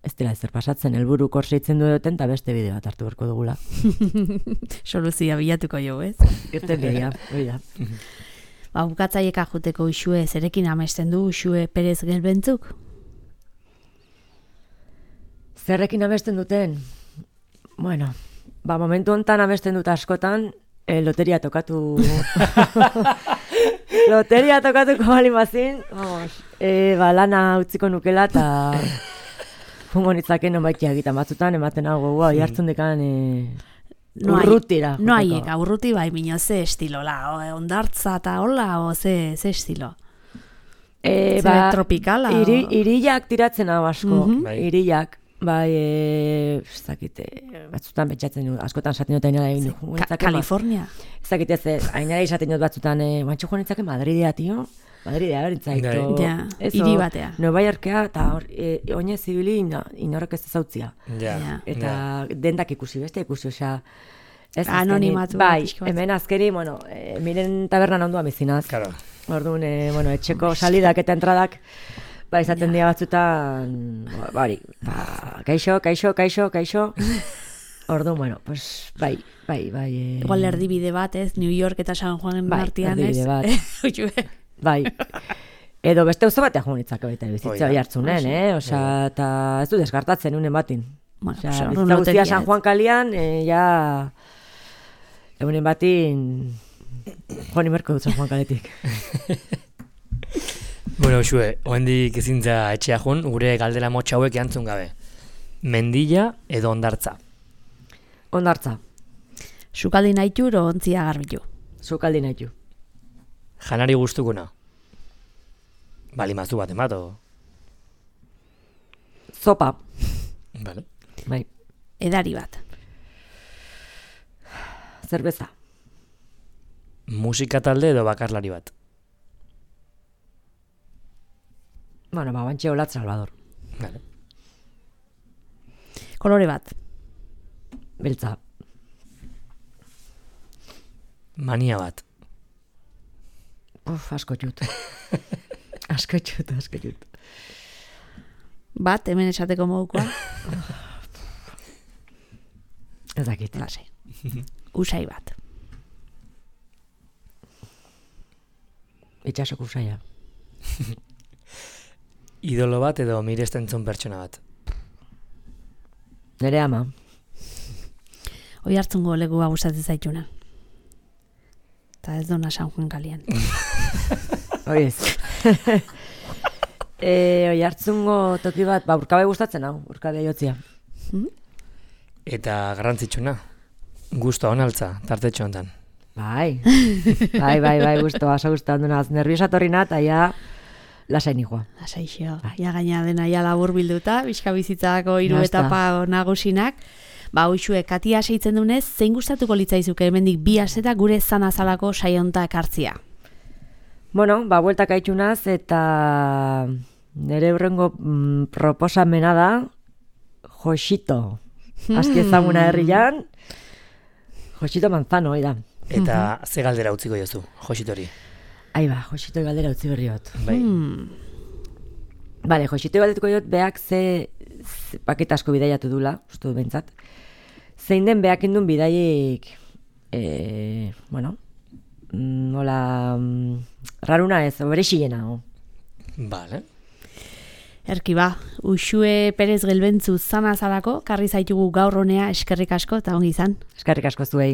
ez dela ezer pasatzen, helburu korseitzen du duten, eta beste bideo bat hartu berko dugula. Soluzia bilatuko jo, ez? Irten bidea, hori da. Ba, bukatzaieka juteko Uxue, zerekin amesten du Uxue Perez Gelbentzuk? Zerrekin amesten duten? Bueno, ba, momentu hontan amesten dut askotan, eh, loteria tokatu... loteria tokatuko balimazin, vamos, eh, ba, lana utziko nukela, eta... Fungo nitzaken onbaikia egiten batzutan, ematen hau gogoa, jartzen dekan e, no urrutira. No haiek, urruti bai, minio, ze estilola, ondartza eta hola, o ze, ze estilo? E, ze ba, tropikala? Iri, iriak tiratzen hau asko, Mm-hmm. Bai. iriak, bai, e, ez dakit, batzutan pentsatzen dut, askotan esaten dut ainara egin du. Ka Kalifornia? Ez dakit ez, ainara izaten dut batzutan, e, bantxo joan nintzake Madridea, tio. Madridea, berintzaito. Ja, hiri batea. Nueva Yorkea, eta hor, e, oinez zibili inorrek ez ezautzia. Ja. Ja. Eta Ja. dendak ikusi, beste ikusi, osea... ez Anonimatu, azkenik- Bai, pixka bat. hemen azkeri, bueno, e, miren tabernan ondoa bizinaz. Claro. Orduan, e, bueno, etxeko salidak eta entradak, ba, izaten dira batzutan, ba, bari, ba, kaixo, kaixo, kaixo, kaixo. Orduan, bueno, pues, bai, bai, bai. E, Igual erdibide bat, ez? New York eta San Juan Bai, artean, ez? erdibide bat. Uxue. Bai. Edo beste auzo batean joan nitzake baita bizitza Oida. hori hartzunen, eh? Osea, eta ez du deskartatzen unen batin. Bueno, Osea, pues, bizitza orduan guztia loteria, San ez? Juan kalian, eh, ja... Egunen batin... Joan imerko dut San Juan kaletik. Bueno, Uxue, oendik ezintza etxea jun, gure galdera motxa hauek erantzun gabe. Mendilla edo ondartza? Ondartza. Sukaldi nahitur o ontzia garbitu. Sukaldi nahitu. Janari gustukuna. Balimazu bat emato. Zopa. Vale. Bai. Edari bat. Zerbeza. Musika talde edo bakarlari bat. Bueno, ba, bantxe Olat Salvador. Vale. Kolore bat. Beltza. Mania bat. Uf, asko txut. asko txut, asko txut. Bat, hemen esateko modukoa. Ez dakit. Lasai. Usai bat. Itxasoko usaia. Idolo bat edo miresten zuen pertsona bat. Nere ama. Hoi hartzungo legua gustatzen zaituna. Eta ez dona San Juan kalian. Hoi ez. e, Hoi hartzungo toki bat, ba, urkabe gustatzen hau, urkabe jotzia. Hmm? Eta garrantzitsuna. Gusto onaltza, tartetxo hontan. Bai, bai, bai, bai, gusto, aso gusto ondunaz. Nerviosa torri nat, aia lasai nikoa. Lasai xeo. Ja gaina dena ja labur bilduta, bizka bizitzako hiru etapa nagusinak. Ba, hoxue, katia seitzen dunez, zein gustatuko litzaizuke hemendik bi asteta gure zanazalako saionta ekartzia? Bueno, ba, bueltak aitxunaz, eta nire hurrengo mm, proposamena da, Josito. Azki ezaguna herrian, Josito Manzano, hori da. Eta ze galdera utziko jozu, Jositori? Ai ba, Josito galdera utzi berriot. Bai. Hmm. Bale, Josito galdetuko jot, beak ze, ze paket asko bidaiatu dula, uste dut behintzat. Zein den beak indun bidaiek, e, bueno, nola, raruna ez, berexilena. Vale. Erki ba, Uxue Perez Gelbentzu zanazalako, karri zaitugu gaur honea eskerrik asko eta ongi izan. Eskerrik asko zuei.